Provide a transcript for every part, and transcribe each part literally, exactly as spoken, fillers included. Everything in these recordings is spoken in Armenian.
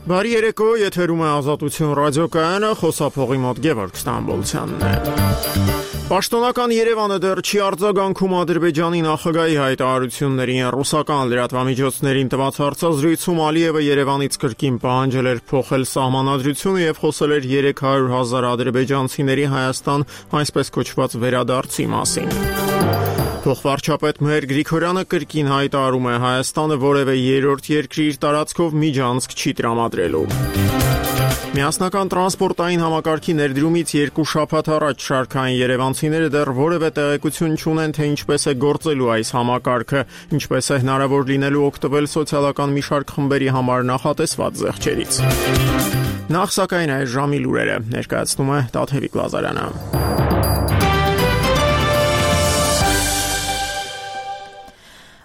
Բարի երեկո, եթերում է Ազատություն ռադիոկայանը, խոսափողի մոտ Գևորգ Ստամբոլցյանն է։ Պաշտոնական Երևանը դեռ չի արձագանքում Ադրբեջանի նախագահի հայտարարություններին։ Ռուսական լրատվամիջոցներին տված հարցազրույցում Ալիևը Երևանից կրկին պահանջել էր փոխել սահմանադրությունը եւ խոսել էր երեք հարյուր հազար ադրբեջանցիների Հայաստան այսպես կոչված վերադարձի մասին։ Փոխվարչապետ Մհեր Գրիգորյանը կրկին հայտարարում է Հայաստանը որևէ երրորդ երկրի իր տարածքով միջանցք չի տրամադրելու։ Միասնական տրանսպորտային համակարգի ներդրումից երկու շաբաթ առաջ շարքային երևանցիները դեռ որևէ տեղեկություն չունեն, թե ինչպես է գործելու այս համակարգը, ինչպես է հնարավոր լինելու օգտվել սոցիալական մի շարք խմբերի համար նախատեսված զեղչերից։ Նախ սակայն այս ժամի լուրերը ներկայացնում է Տաթևիկ Լազարյանը։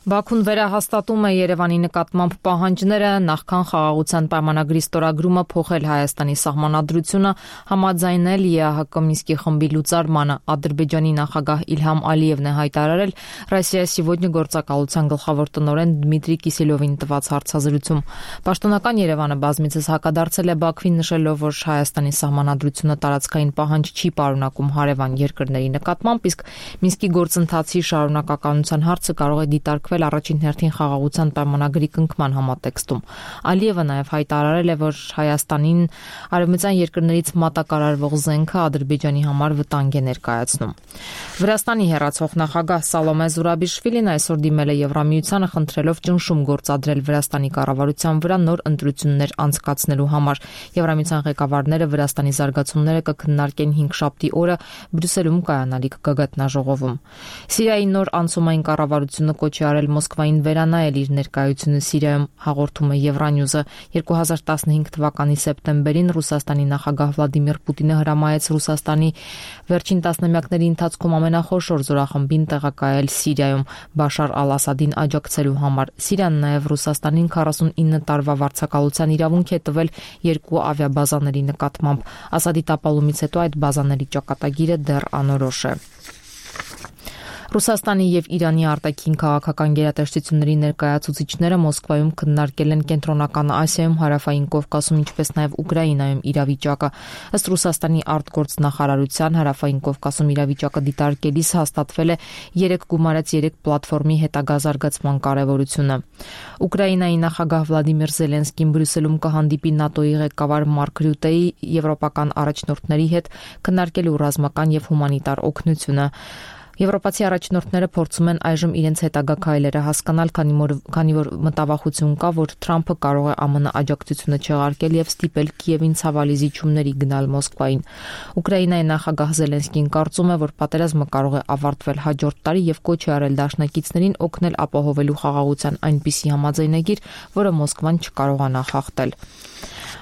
Բաքուն վերահաստատում է Երևանի նկատմամբ պահանջները նախքան խաղաղության պայմանագրի ստորագրումը փոխել Հայաստանի սահմանադրությունը, համաձայնել ԵԱՀԿ Մինսկի խմբի լուծարմանը։ Ադրբեջանի նախագահ Իլհամ Ալիևն է հայտարարել «Ռոսիա Սիվոդնի» գործակալության գլխավոր տնօրեն Դմիտրի Կիսելովին տված հարցազրույցում։ Պաշտոնական Երևանը բազմիցս հակադարձել է Բաքվին, նշելով, որ Հայաստանի սահմանադրությունը տարածքային պահանջ չի պարունակում հարևան երկրների նկատմամբ, իսկ Մինսկի գործընթացի շարունակականության հարցը կարող է դիտարկվել առաջին հերթին խաղաղության պայմանագրի կնքման համատեքստում։ Ալիևը նաև հայտարարել է, որ Հայաստանին արևմտյան երկրներից մատակարարվող զենքը Ադրբեջանի համար վտանգ է ներկայացնում։ Վրաստանի հեռացող նախագահ Սալոմե Զուրաբիշվիլին այսօր դիմել է Եվրամիությանը, խնդրելով ճնշում գործադրել Վրաստանի կառավարության վրա նոր ընտրություններ անցկացնելու համար։ Եվրամիության ղեկավարները Վրաստանի զարգացումները կքննարկեն հինգշաբթի օրը Բրյուսելում կայանալիք գագաթնաժողովում։ Սիրիայի նոր անցումային կառավարությունը կոչ է արել Մոսկվային վերանայել իր ներկայությունը Սիրիայում, հաղորդում է Եվրանյուզը։ երկու հազար տասնհինգ թվականի սեպտեմբերին Ռուսաստանի նախագահ Վլադիմիր Պուտինը հրամայեց Ռուսաստանի վերջին տասնամյակների ընթացքում ամենախոշոր զորախմբին տեղակայել Սիրիայում Բաշար ալ-Ասադին աջակցելու համար։ Սիրիան նաև Ռուսաստանին քառասունինը տարվա վարձակալության իրավունք է տվել երկու ավիաբազաների նկատմամբ։ Ասադի տապալումից հետո այդ բազաների ճակատագիրը դեռ անորոշ է։ Ռուսաստանի եւ Իրանի արտաքին քաղաքական գերատեսչությունների ներկայացուցիչները Մոսկվայում քննարկել են Կենտրոնական Ասիայում, Հարավային Կովկասում, ինչպես նաեւ Ուկրաինայում իրավիճակը։ Ըստ Ռուսաստանի արտգործնախարարության Հարավային Կովկասում իրավիճակը դիտարկելիս հաստատվել է երեք գումարած երեք պլատֆորմի հետագա զարգացման կարեւորությունը։ Ուկրաինայի նախագահ Վլադիմիր Զելենսկին Բրյուսելում կհանդիպի ՆԱՏՕ-ի ղեկավար Մարկ Ռյուտեի եվրոպական առաջնորդների հետ քննարկելու ռազմական եւ հումանիտար օգնությունը։ Եվրոպացի առաջնորդները փորձում են այժմ իրենց հետագա քայլերը հասկանալ, քանի որ, քանի որ մտավախություն կա, որ Թրամփը կարող է ԱՄՆ աջակցությունը չեղարկել եւ ստիպել Կիևին ցավալի զիջումների գնալ Մոսկվային։ Ուկրաինայի նախագահ Զելենսկին կարծում է, որ պատերազմը կարող է ավարտվել հաջորդ տարի եւ կոչ է արել դաշնակիցներին օգնել ապահովելու խաղաղության այնպիսի համաձայնագիր, որը Մոսկվան չկարողանա խախտել։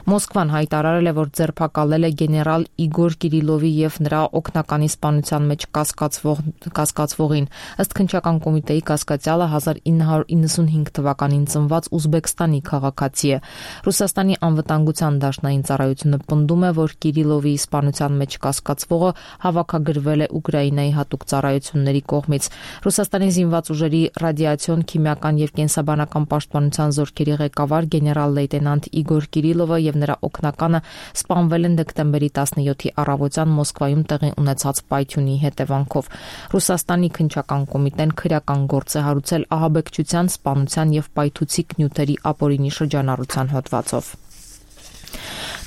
Մոսկվան հայտարարել է, որ ձերբակալել է գեներալ Իգոր Կիրիլովի եւ նրա օգնականի սպանության մեջ կասկածվող կասկածվողին։ Ըստ քննչական կոմիտեի կասկածյալը հազար ինը հարյուր իննսունհինգ թվականին ծնված ուզբեկստանի քաղաքացի է։ Ռուսաստանի անվտանգության դաշնային ծառայությունը պնդում է, որ Կիրիլովի սպանության մեջ կասկածվողը հավաքագրվել է Ուկրաինայի հատուկ ծառայությունների կողմից։ Ռուսաստանի զինված ուժերի ռադիացիոն, քիմիական եւ կենսաբանական պաշտպանության զորքերի ղեկավար գեներալ լեյտենանտ Իգոր Կիրիլովը եւ նրա օգնականը սպանվել են դեկտեմբերի տասնյոթի առավոտյան Մոսկվայում տեղի ունեցած պայթյունի հետևանքով։ Ռուսաստանի քննչական կոմիտեն քրեական գործ է հարուցել ահաբեկչության, սպանության եւ պայթուցիկ նյութերի ապօրինի շրջանառության հոդվածով։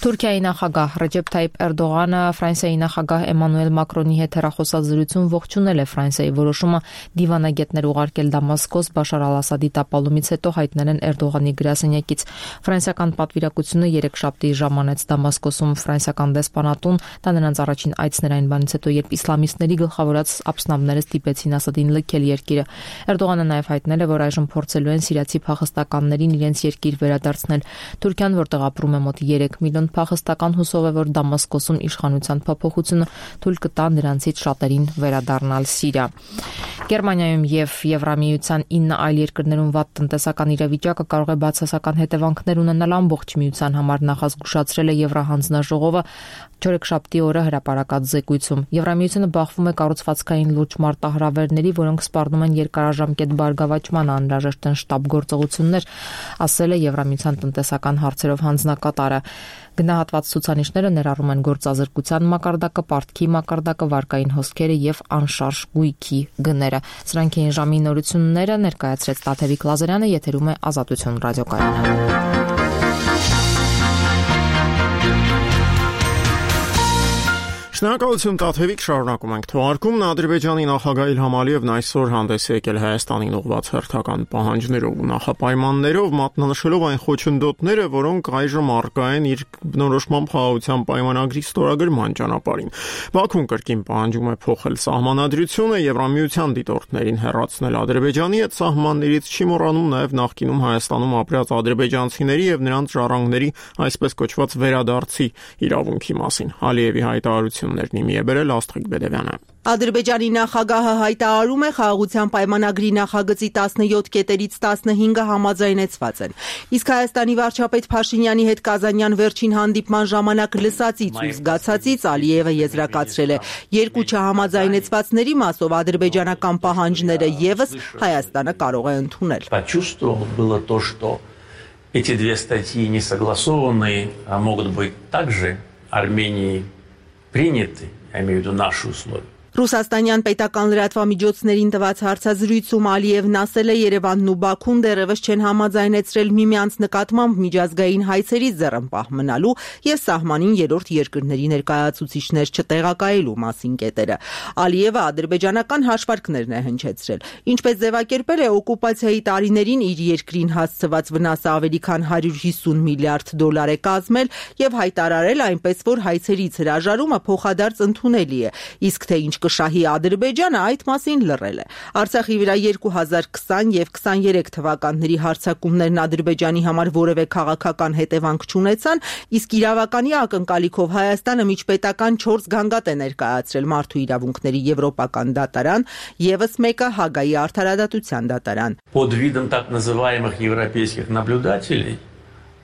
Թուրքիայի նախագահ Ռեջեփ Թայիփ Էրդողանը Ֆրանսիայի նախագահ Էմանուել Մակրոնի հետ հեռախոսազրույցում ողջունել է Ֆրանսիայի որոշումը դիվանագետներ ուղարկել Դամասկոս Բաշար ալ-Ասադի տապալումից հետո հայտնել են Էրդողանի գրասենյակից։ Ֆրանսիական պատվիրակությունը երեքշաբթի ժամանեց Դամասկոսում ֆրանսիական դեսպանատուն, դա նրանց առաջին այցն էր այն բանից հետո, երբ իսլամիստների գլխավորած ափսնավները ստիպեցին Ասադին լքել երկիրը։ Էրդողանը նաև հայտնել է, որ այժմ փորձելու են սիրիացի փախստականներին իրենց երկիր վերադարձնել։ Թուրքիան, որտեղ ապրում է մոտ երեք միլիոն փախստական, հուսով է, որ Դամասկոսում իշխանության փոփոխությունը թույլ կտա նրանցից շատերին վերադառնալ Սիրիա։ Գերմանիայում եւ Եվրամիության ինը այլ երկրներում վատ տնտեսական իրավիճակը կարող է բացասական հետևանքներ ունենալ ամբողջ միության համար, նախազգուշացրել է Եվրահանձնաժողովը Չորեքշաբթի օրը հրապարակած զեկույցում Եվրամիությունը բախվում է կառուցվածքային լուրջ մարտահրավերների, որոնք սպառնում են երկարաժամկետ բարգավաճման անհրաժեշտ են շտապ գործողություններ, ասել է Եվրամիության տնտեսական հարցերով հանձնակատարը։ Գնահատված ցուցանիշները ներառում են գործազրկության մակարդակը, պարտքի մակարդակը, վարկային հոսքերը եւ անշարժ գույքի գները։ Սրանք էին ժամի նորությունները, ներկայացրեց Տաթևիկ Լազարյանը, եթերում է Ազատություն ռադիոկայանը։ Շնորհակալություն Տաթևիկ, շարունակում ենք թողարկումն Ադրբեջանի նախագահ Իլհամ Ալիևն այսօր հանդես եկել Հայաստանին ուղղված հերթական պահանջներով ու նախապայմաններով, մատնանշելով այն խոչընդոտները, որոնք այժմ առկա են իր բնորոշման խաղաղության պայմանագրի ստորագրման ճանապարհին։ Բաքուն կրկին պահանջում է փոխել սահմանադրությունը, Եվրամիության դիտորդներին հեռացնել Ադրբեջանի հետ սահմաններից, չի մոռանում նաև նախկինում Հայաստանում ապրած ադրբեջանցիների եւ նրանց ժառանգների այսպես կոչված վերադարձի իրավունքի մասին։ Ալիևի հայտարարություններն իմի է բերել Աստղիկ Բեդևյանը։ Ադրբեջանի նախագահը հայտարարում է խաղաղության պայմանագրի նախագծի տասնյոթ կետերից տասնհինգը համաձայնեցված են։ Իսկ Հայաստանի վարչապետ Փաշինյանի հետ Կազանյան վերջին հանդիպման ժամանակ լսածից ու զգացածից Ալիևը եզրակացրել է, երկու չհամաձայնեցվածների մասով ադրբեջանական պահանջները եւս Հայաստանը կարող է ընդունել։ Эти две статьи не согласованные, а могут быть также Армении приняты, я имею в виду наши условия. Ռուսաստանյան պետական լրատվամիջոցներին տված հարցազրույցում Ալիևն ասել է Երևանն ու Բաքուն դեռևս չեն համաձայնեցրել միմյանց նկատմամբ միջազգային հայցերից ձեռնպահ մնալու եւ սահմանին երրորդ երկրների ներկայացուցիչներ չտեղակայելու մասին կետերը։ Ալիևը ադրբեջանական հաշվարկներն է հնչեցրել, ինչպես ձևակերպել է օկուպացիայի տարիներին իր երկրին հասցված վնասը ավելի քան հարյուր հիսուն միլիարդ դոլար է կազմել եւ հայտարարել այնպես, որ հայցերից հրաժարումը փոխադարձ ընդունելի է, իսկ թե ինչ կշահի Ադրբեջանը այդ մասին լռել է։ Արցախի վրա երկու հազար քսան եւ քսաներեք թվականների հարձակումներն Ադրբեջանի համար որևէ քաղաքական հետևանք չունեցան, իսկ իրավականի ակնկալիքով Հայաստանը միջպետական չորս գանգատ է ներկայացրել Մարդու իրավունքների եվրոպական դատարան, եւս մեկը Հագայի արդարադատության դատարան։ Под видом так называемых европейских наблюдателей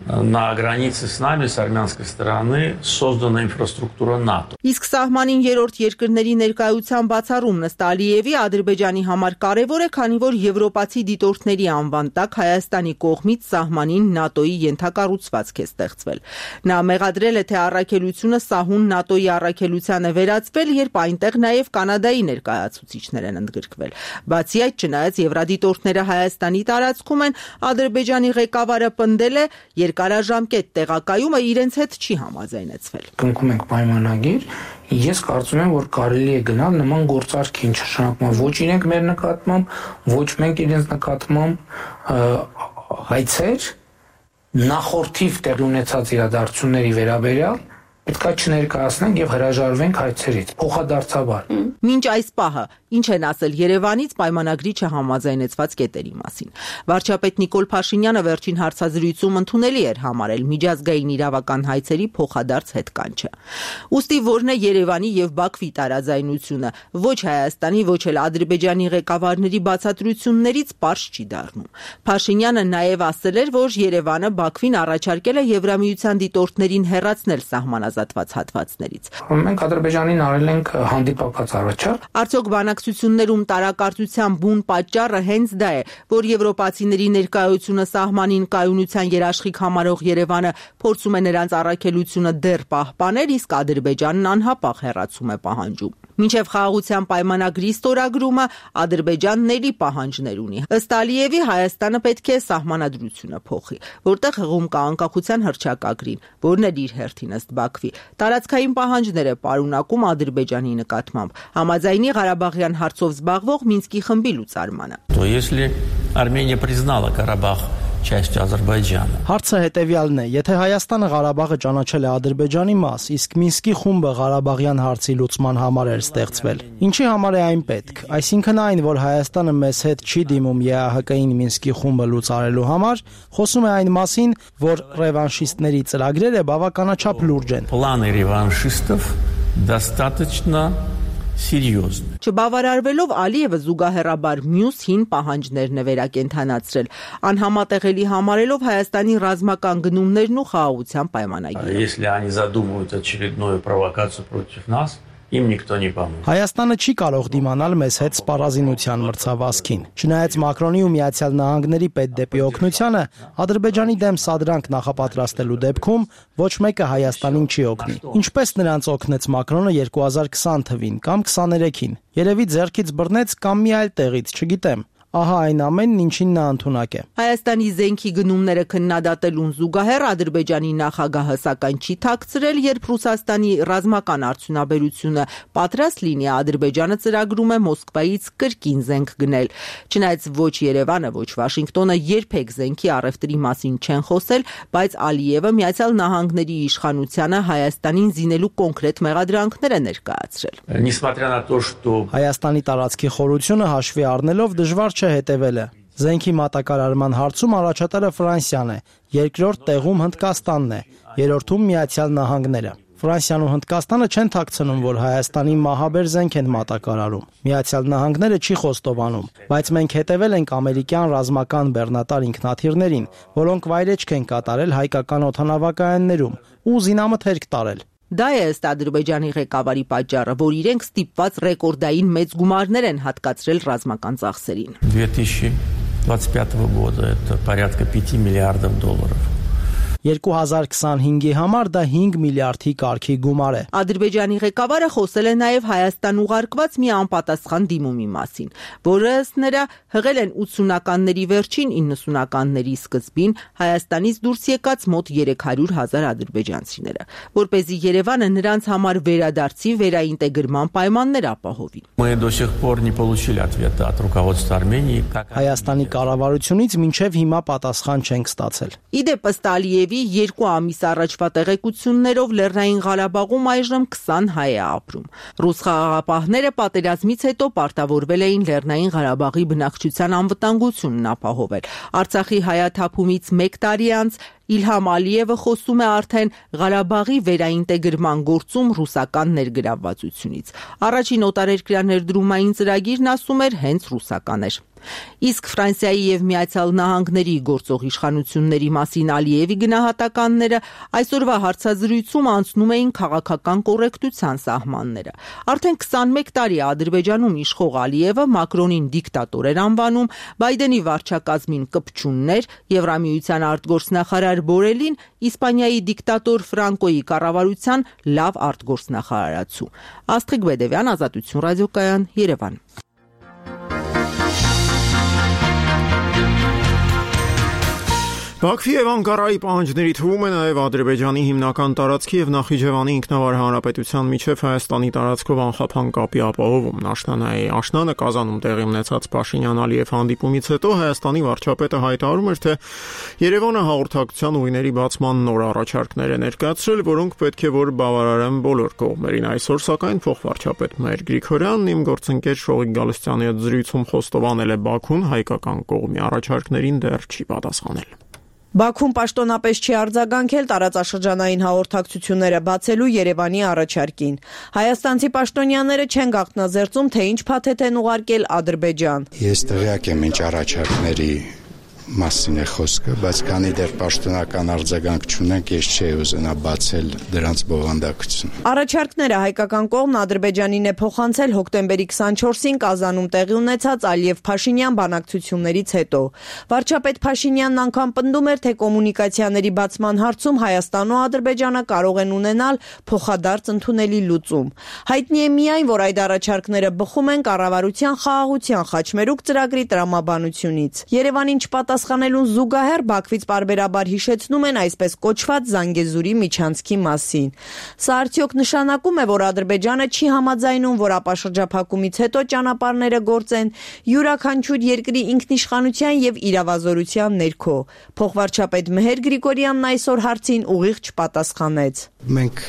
на границе с нами, с армянской стороны, создана инфраструктура НАТО. Իսկ սահմանին երրորդ երկրների ներկայության բացառումն ըստ Ալիևի Ադրբեջանի համար կարևոր է, քանի որ եվրոպացի դիտորդների անվան տակ Հայաստանի կողմից սահմանին ՆԱՏՕ-ի ենթակառուցվածք է ստեղծվել։ Նա մեղադրել է, թե առաքելությունը սահուն ՆԱՏՕ-ի առաքելության է վերածվել, երբ այնտեղ նաև Կանադայի ներկայացուցիչներ են ընդգրկվել։ Բացի այդ, չնայած եվրադիտորդները Հայաստանի տարածքում են, Ադրբեջանի ղեկավարը պնդել է, երկարաժամկետ տեղակայումը իրենց հետ չի համաձայնեցվել։ Կնքում ենք պայմանագիր, ես կարծում եմ, որ կարելի է գնալ նման գործարքին, չշանակում ոչ իրենք մեր նկատմամբ, ոչ մենք իրենց նկատմամբ հայցեր նախորդիվ տեղի ունեցած իրադարձությունների վերաբերյալ պետք է չներկայացնենք եւ հրաժարվենք հայցերից փոխադարձաբար։ Մինչ այս պահը ինչ են ասել Երևանից պայմանագրի չհամաձայնեցված կետերի մասին։ Վարչապետ Նիկոլ Փաշինյանը վերջին հարցազրույցում ընդունելի էր համարել միջազգային իրավական հայցերի փոխադարձ հետկանչը։ Ուստի որն է Երևանի եւ Բաքվի տարաձայնությունը, ոչ Հայաստանի, ոչ էլ Ադրբեջանի ղեկավարների բացատրություններից պարզ չի դառնում։ Փաշինյանը նաեւ ասել էր, որ Երևանը Բաքվին առաջարկել է Եվրամիության դիտորդներին հեռացնել սահմանազատված հատվածներից։ Մենք Ադրբեջանին արել ենք հանդիպակաց առաջարկ։ Արդյոք բանակցություններում տարակարծության բուն պատճառը հենց դա է, որ եվրոպացիների ներկայությունը սահմանին կայունության երաշխիք համարող Երևանը փորձում է նրանց առաքելությունը դեռ պահպանել, իսկ Ադրբեջանն անհապաղ հեռացում է պահանջում։ Մինչև խաղաղության պայմանագրի ստորագրումը Ադրբեջանն էլի պահանջներ ունի։ Ըստ Ալիևի Հայաստանը պետք է սահմանադրությունը փոխի, որտեղ հղում կա անկախության հռչակագրին, որն էլ իր հերթին ըստ Բաքվի տարածքային պահանջներ է պարունակում Ադրբեջանի նկատմամբ, համաձայնի Ղարաբաղյան հարցով զբաղվող Մինսկի խմբի լուծարմանը։ То если Армения признала Карабах частью Ադրբեջանը։ Հարցը հետևյալն է. եթե Հայաստանը Ղարաբաղը ճանաչել է Ադրբեջանի մաս, իսկ Մինսկի խումբը Ղարաբաղյան հարցի լուծման համար էր ստեղծվել, ինչի համար է այն պետք։ Այսինքն այն, որ Հայաստանը մեզ հետ չի դիմում Է Ա Հ Կ-ին Մինսկի խումբը լուծարելու համար, խոսում է այն մասին, որ ռևանշիստների ծրագրերը բավականաչափ լուրջ են։ Планы реваншистов достаточно серьезны. Չբավարարվելով Ալիևը զուգահեռաբար մյուս հին պահանջներն է վերակենդանացրել, անհամատեղելի համարելով Հայաստանի ռազմական գնումներն ու խաղաղության պայմանագիրը։ Если они задумывают очередную провокацию против нас, им никто не поможет. Հայաստանը չի կարող դիմանալ մեզ հետ սպառազինության մրցավազքին։ Չնայած Մակրոնի ու Միացյալ Նահանգների պետդեպի օգնությանը, Ադրբեջանի դեմ սադրանք նախապատրաստելու դեպքում ոչ մեկը Հայաստանին չի օգնի։ Ինչպես նրանց օգնեց Մակրոնը երկու հազար քսան թվին կամ քսաներեքին։ Երևի ձեռքից բռնեց կամ մի այլ տեղից, չգիտեմ։ Ահա այն ամենն, ինչին նա ընդունակ է։ Հայաստանի զենքի գնումները քննադատելուն զուգահեռ Ադրբեջանի նախագահը սակայն չի թաքցրել, երբ Ռուսաստանի ռազմական արդյունաբերությունը պատրաստ լինի, Ադրբեջանը ծրագրում է Մոսկվայից կրկին զենք գնել։ Չնայած ոչ Երևանը, ոչ Վաշինգտոնը երբեք զենքի առևտրի մասին չեն խոսել, բայց Ալիևը Միացյալ Նահանգների իշխանությանը Հայաստանին զինելու կոնկրետ մեղադրանքներ է ներկայացրել։ Несмотря на то, что Հայաստանի տարածքի խորությունը հաշվի առնելով դժվար հետևելը։ Զենքի մատակարարման հարցում առաջատարը Ֆրանսիան է, երկրորդ տեղում Հնդկաստանն է, երրորդում Միացյալ Նահանգները։ Ֆրանսիան ու Հնդկաստանը չեն թաքցնում, որ Հայաստանի մահաբեր զենք են մատակարարում։ Միացյալ Նահանգները չի խոստովանում, բայց մենք հետևել ենք ամերիկյան ռազմական բեռնատար ինքնաթիռներին, որոնք վայրեջք են կատարել հայկական օդանավակայաններում ու զինամթերք տարել։ Դա է ըստ Ադրբեջանի ղեկավարի պատճառը, որ իրենք ստիպված ռեկորդային մեծ գումարներ են հատկացրել ռազմական ծախսերին։ две тысячи двадцать пятого года это порядка пяти миллиардов долларов. երկու հազար քսանհինգի համար դա հինգ միլիարդի կարգի գումար է։ Ադրբեջանի ղեկավարը խոսել է նաև Հայաստան ուղարկված մի անպատասխան դիմումի մասին, որը ըստ նրա հղել են ութսունականների վերջին իննսունականների սկզբին Հայաստանից դուրս եկած մոտ երեք հարյուր հազար ադրբեջանցիները, որպեսզի Երևանը նրանց համար վերադարձի վերաինտեգրման պայմաններ ապահովի։ Мы до сих пор не получили ответа от руководства Армении. Հայաստանի կառավարությունից մինչև հիմա պատասխան չենք ստացել։ Իդեպ ըստ Ալիևի երկու ամիս առաջվա տեղեկություններով Լեռնային Ղարաբաղում այժմ քսան հայ է ապրում։ Ռուս խաղաղապահները պատերազմից հետո պարտավորվել էին Լեռնային Ղարաբաղի բնակչության անվտանգությունն ապահովել։ Արցախի հայաթափումից մեկ տարի անց Իլհամ Ալիևը խոսում է արդեն Ղարաբաղի վերաինտեգրման գործում ռուսական ներգրավվածությունից։ Առաջին օտարերկրյա ներդրումային ծրագիրն ասում էր հենց ռուսական էր։ Իսկ Ֆրանսիայի եւ Միացյալ Նահանգների գործող իշխանությունների մասին Ալիևի գնահատականները այսօրվա հարցազրույցում անցնում էին քաղաքական կոռեկտության սահմանները։ Արդեն քսանմեկ տարի Ադրբեջանում իշխող Ալիևը Մակրոնին դիկտատոր էր անվանում, Բայդենի վարչակազմին կպչուններ, Եվրամիության արտգործնախարար Բորելին Իսպանիայի դիկտատոր Ֆրանկոյի կառավարության լավ արտգործնախարարացու։ Աստղիկ Բեդևյան, Ազատություն ռադիոկայան, Երևան։ Բաքվի եւ Անկարայի պահանջների թվում է նաեւ Ադրբեջանի հիմնական տարածքի եւ Նախիջևանի ինքնավար հանրապետության միջև Հայաստանի տարածքով անխափան կապի ապահովում։ Աշնանայի աշնանը Կազանում տեղի ունեցած Փաշինյան-Ալիև հանդիպումից հետո Հայաստանի վարչապետը հայտարարում էր, թե Երևանը հաղորդակցության ուղիների բացման նոր առաջարկներ է ներկայացրել, որոնք պետք է որ բավարարեն բոլոր կողմերին։ Այսօր սակայն փոխվարչապետ Մհեր Գրիգորյանն իմ գործընկեր Շողիկ Գալստյանի հետ զրույցում խոստովանել է Բաքուն հայկական կողմի առաջարկներին դեռ չի պատասխանել։ Բաքուն պաշտոնապես չի արձագանքել տարածաշրջանային հաղորդակցությունները բացելու Երևանի առաջարկին։ Հայաստանցի պաշտոնյաները չեն գաղտնազերծում, թե ինչ փաթեթ են ուղարկել Ադրբեջան։ Ես տեղյակ եմ ինչ առաջարկների մասին է խոսքը, բայց քանի դեռ պաշտոնական արձագանք չունենք, ես չէի ուզենա բացել դրանց բովանդակությունը։ Առաջարկները հայկական կողմն Ադրբեջանին է փոխանցել հոկտեմբերի քսանչորսին Կազանում տեղի ունեցած Ալիև-Փաշինյան բանակցություններից հետո։ Վարչապետ Փաշինյանն անգամ պնդում էր, թե կոմունիկացիաների բացման հարցում Հայաստանն ու Ադրբեջանը կարող են ունենալ փոխադարձ ընդունելի լուծում։ Հայտնի է միայն, որ այդ առաջարկները բխում են կառավարության խաղաղության խաչմերուկ ծրագրի տրամաբանությունից։ Երևանին չպատասխանելուն զուգահեռ Բաքվից պարբերաբար հիշեցնում են այսպես կոչված Զանգեզուրի միջանցքի մասին։ Սա արդյոք նշանակում է, որ Ադրբեջանը չի համաձայնում, որ ապաշրջափակումից հետո ճանապարհները գործեն յուրաքանչյուր երկրի ինքնիշխանության եւ իրավազորության ներքո։ Փոխվարչապետ Մհեր Գրիգորյանն այսօր հարցին ուղիղ չպատասխանեց։ Մենք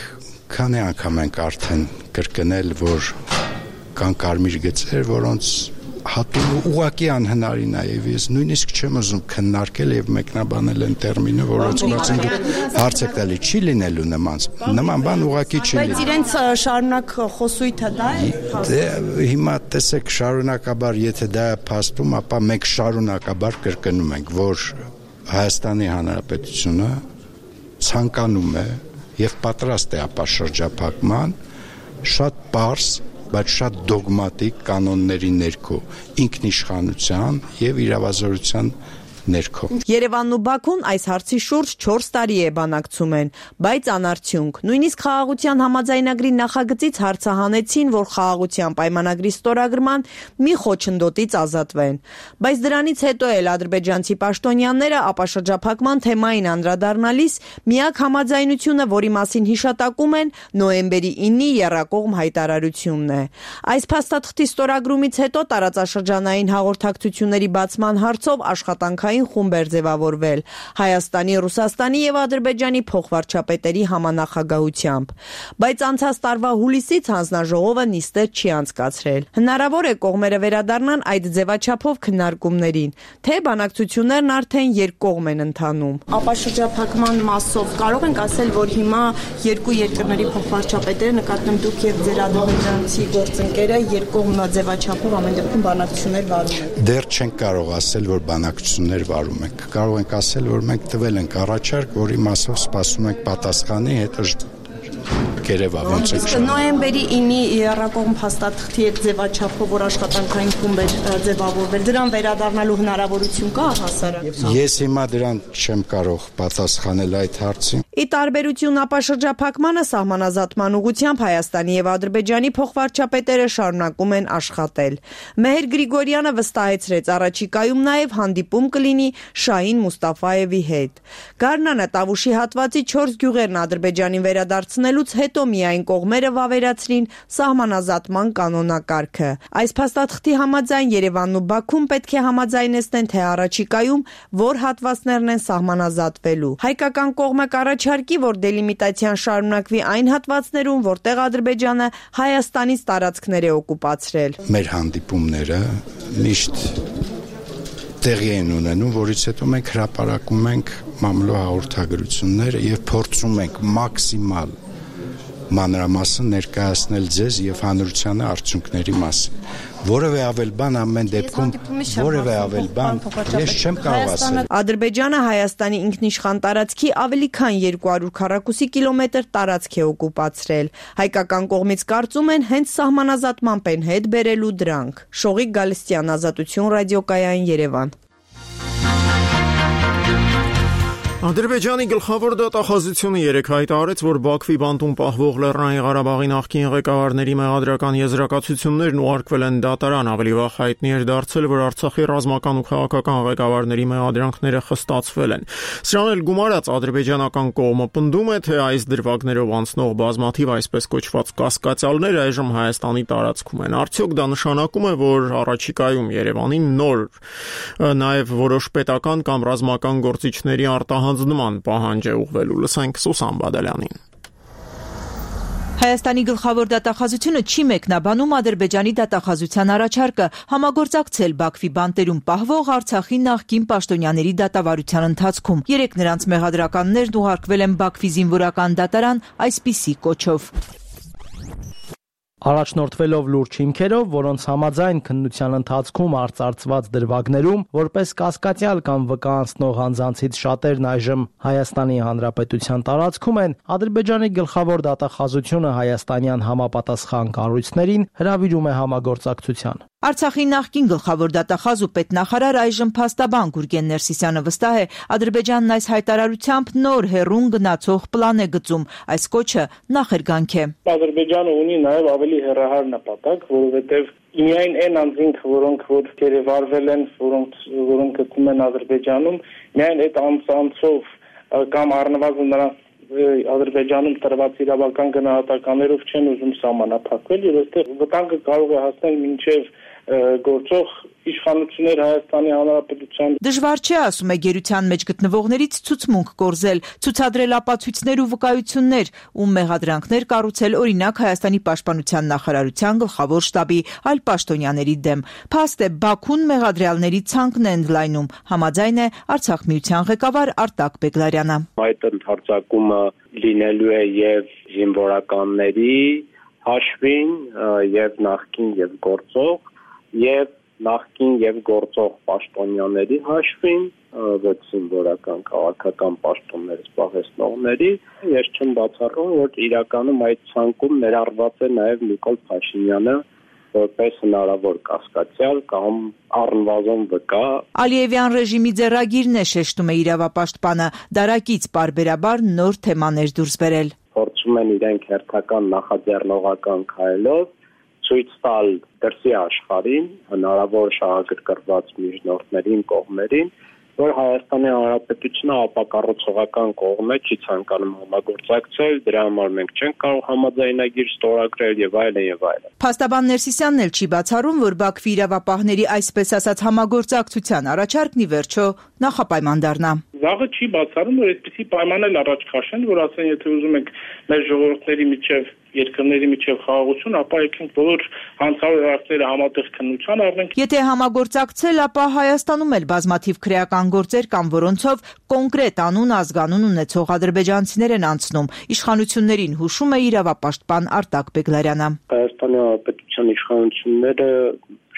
քանի անգամ ենք արդեն կրկնել, որ կան կարմիր գծեր, որոնց հատում ու ուղղակի անհնարին է եւ ես նույնիսկ չեմ ուզում քննարկել եւ մեկնաբանել այն տերմինը, որոնց մասին դուք հարց եք տալի, չի լինելու նման նման բան ուղղակի չի լինելու։ Բայց իրենց շարունակ խոսույթը դա է։ Դե հիմա տեսեք շարունակաբար, եթե դա է փաստում, ապա մենք շարունակաբար կրկնում ենք, որ Հայաստանի Հանրապետությունը ցանկանում է եւ պատրաստ է ապաշրջափակման շատ պարզ, բայց շատ դոգմատիկ կանոնների ներքո, ինքնիշխանության եւ իրավազորության ներքո։ Երևանն ու Բաքուն այս հարցի շուրջ չորս տարի է բանակցում են, բայց անարդյունք։ Նույնիսկ խաղաղության համաձայնագրի նախագծից հարցահանեցին, որ խաղաղության պայմանագրի ստորագրման մի խոչընդոտից ազատվեն։ Բայց դրանից հետո էլ ադրբեջանցի պաշտոնյաները ապաշրջափակման թեմային անդրադառնալիս միակ համաձայնությունը, որի մասին հիշատակում են, նոյեմբերի իննի եռակողմ հայտարարությունն է։ Այս փաստաթղթի ստորագրումից հետո տարածաշրջանային հաղորդակցությունների բացման հարցով աշխատանքային խումբ էր ձևավորվել Հայաստանի, Ռուսաստանի եւ Ադրբեջանի փոխվարչապետերի համանախագահությամբ, բայց անցած տարվա հուլիսից հանձնաժողովը նիստեր չի անցկացրել։ Հնարավոր է կողմերը վերադառնան այդ ձևաչափով քննարկումներին, թե բանակցություններն արդեն երկկողմ են ընթանում։ Ապաշրջափակման մասով կարող ենք ասել, որ հիմա երկու երկրների փոխվարչապետերը, նկատեմ դուք եւ ձեր ադրբեջանցի գործընկերը, երկկողմ ձևաչափով ամեն դեպքում բանակցություններ վարում են։ Դեռ չենք կարող ասել, որ բանակցություններ վարում ենք։ Կարող ենք ասել, որ մենք տվել ենք առաջարկ, որի մասով սպասում ենք պատասխանի, հետո գերեվա ոնց է։ Նոյեմբերի իննի եռակողմ փաստաթղթի այդ ձևաչափով, որ աշխատանքային խումբ էր ձևավորվել, դրան վերադառնալու հնարավորություն կա հասարակ։ Ես հիմա դրան չեմ կարող պատասխանել այդ հարցին։ Ի տարբերություն ապաշրջափակմանը սահմանազատման ուղղությամբ Հայաստանի եւ Ադրբեջանի փոխվարչապետերը շարունակում են աշխատել։ Մեհեր Գրիգորյանը վստահեցրեց, առաջիկայում նաեւ հանդիպում կլինի Շահին Մուստաֆաևի հետ։ Գառնանը Տավուշի հատվածի չորս գյուղերն Ադրբեջանին վերադարձնելուց հետո միայն կողմերը վավերացրին սահմանազատման կանոնակարգը։ Այս փաստաթղթի համաձայն Երևանն ու Բաքուն պետք է համաձայնեցնեն, թե առաջիկայում որ հատվածներն են սահմանազատվելու։ Հայկական կողմը կառաջարկի, որ դելիմիտացիան շարունակվի այն հատվածներում, որտեղ Ադրբեջանը Հայաստանից տարածքներ է օկուպացրել։ Մեր հանդիպումները միշտ տեղի են ունենում, որից հետո մենք հրապարակում ենք մամլո հաղորդագրությունները եւ փորձում ենք մաքսիմալ մանրամասն ներկայացնել ձեզ եւ հանրությանը արդյունքների մասին։ Որևէ ավել բան ամեն դեպքում, որևէ ավել բան ես չեմ կարող ասել։ Ադրբեջանը Հայաստանի ինքնիշխան տարածքի ավելի քան երկու հարյուր քառակուսի կիլոմետր տարածք է օկուպացրել։ Հայկական կողմից կարծում են հենց սահմանազատմամբ են հետ բերելու դրանք։ Շողիկ Գալստյան, Ազատություն ռադիոկայան, Երևան։ Ադրբեջանի գլխավոր դատախազությունը երեկ հայտարարեց, որ Բաքվի բանտում պահվող Լեռնային Ղարաբաղի նախկին ղեկավարների մեղադրական եզրակացություններն ուղարկվել են դատարան։ Ավելի վաղ հայտնի էր դարձել, որ Արցախի ռազմական ու քաղաքական ղեկավարների մեղադրանքները խստացվել են։ Սրան էլ գումարած ադրբեջանական կողմը պնդում է, թե այս դրվագներով անցնող բազմաթիվ այսպես կոչված կասկածյալներ այժմ Հայաստանի տարածքում են։ Արդյոք դա նշանակում է, որ առաջիկայում Երևանին նոր նաև որոշ պետական կամ ռազմական գործիչների արտահան նման պահանջ է ուղղվելու։ Լսենք Սուսան Բադալյանին։ Հայաստանի գլխավոր դատախազությունը չի մեկնաբանում Ադրբեջանի դատախազության առաջարկը համագործակցել Բաքվի բանտերում պահվող Արցախի նախկին պաշտոնյաների դատավարության ընթացքում։ Երեք նրանց մեղադրականներն ուղարկվել են Բաքվի զինվորական դատարան այսպիսի կոչով։ Առաջնորդվելով լուրջ հիմքերով, որոնց համաձայն քննության ընթացքում արծարծված դրվագներում որպես կասկածյալ կամ վկայանցնող անձանցից շատերն այժմ Հայաստանի Հանրապետության տարածքում են, Ադրբեջանի գլխավոր դատախազությունը հայաստանյան համապատասխան կառույցներին հրավիրում է համագործակցության։ Արցախի նախկին գլխավոր դատախազ ու պետնախարար այժմ փաստաբան Գուրգեն Ներսիսյանը վստահ է, Ադրբեջանն այս հայտարարությամբ նոր հեռուն գնացող պլան է գծում, այս կոչը նախերգանք է։ Ադրբեջանը ունի նաև ավելի հեռահար նպատակ, որովհետև միայն այն անձինք, որոնք որ գերեվարվել են, որոնք որոնք գտնվում են Ադրբեջանում, միայն այդ անձանցով կամ առնվազն նրանց Ադրբեջանում տրված իրավական գնահատականներով չեն ուզում սահմանափակվել եւ այստեղ վտանգը կարող է հասնել մինչեւ գործող իշխանություններ Հայաստանի Հանրապետության։ Դժվար չէ, ասում է գերության մեջ գտնվողներից ցուցմունք կորզել, ցուցադրել ապացույցներ ու վկայություններ ու մեղադրանքներ կառուցել օրինակ Հայաստանի պաշտպանության նախարարության գլխավոր շտաբի այլ պաշտոնյաների դեմ։ Փաստ է Բաքուն մեղադրյալների ցանկն է ընդլայնում, համաձայն է Արցախ միության ղեկավար Արտակ Բեգլարյանը։ Այդ ընդհանրակումը լինելու է եւ զինվորականների հաշվին եւ նախկին եւ գործող եւ նախկին եւ գործող պաշտոնյաների հաշվին ոչ զինվորական քաղաքական պաշտոններ զբաղեցնողների ես չեմ բացառում որ իրականում այդ ցանկում ներառված է նաեւ Նիկոլ Փաշինյանը որպես հնարավոր կասկածյալ կամ առնվազն վկա։ Ալիևյան ռեժիմի ձեռագիրն է, շեշտում է իրավապաշտպանը, դարակից պարբերաբար նոր թեմաներ դուրս բերել։ Փորձում են իրենք հերթական նախաձեռնողական քայլով ցույց տալ դրսի աշխարհին հնարավոր շահագրգռված միջնորդներին կողմերին, որ Հայաստանի Հանրապետությունը ապակառուցողական կողմ է, չի ցանկանում համագործակցել, դրա համար մենք չենք կարող համաձայնագիր ստորագրել եւ այլն եւ այլն։ Փաստաբան Ներսիսյանն էլ չի բացառում, որ Բաքվի իրավապահների այսպես ասած համագործակցության առաջարկն ի վերջո նախապայման դառնա։ Վաղը չի բացառում, որ այսպիսի պայման էլ առաջ քաշեն, որ ասեն, եթե ուզում եք մեր ժողովուրդների միջև երկրների միջև խաղաղություն, ապա եկենք բոլոր հանցավոր հարցերը համատեղ քննության առնենք։ Եթե համագործակցել, ապա Հայաստանում էլ բազմաթիվ քրեական գործեր կան, որոնցով կոնկրետ անուն, ազգանուն ունեցող ադրբեջանցիներ են անցնում։ Իշխանություններին հուշում է իրավապաշտպան Արտակ Բեգլարյանը։ Հայաստանի Հանրապետության իշխանությունները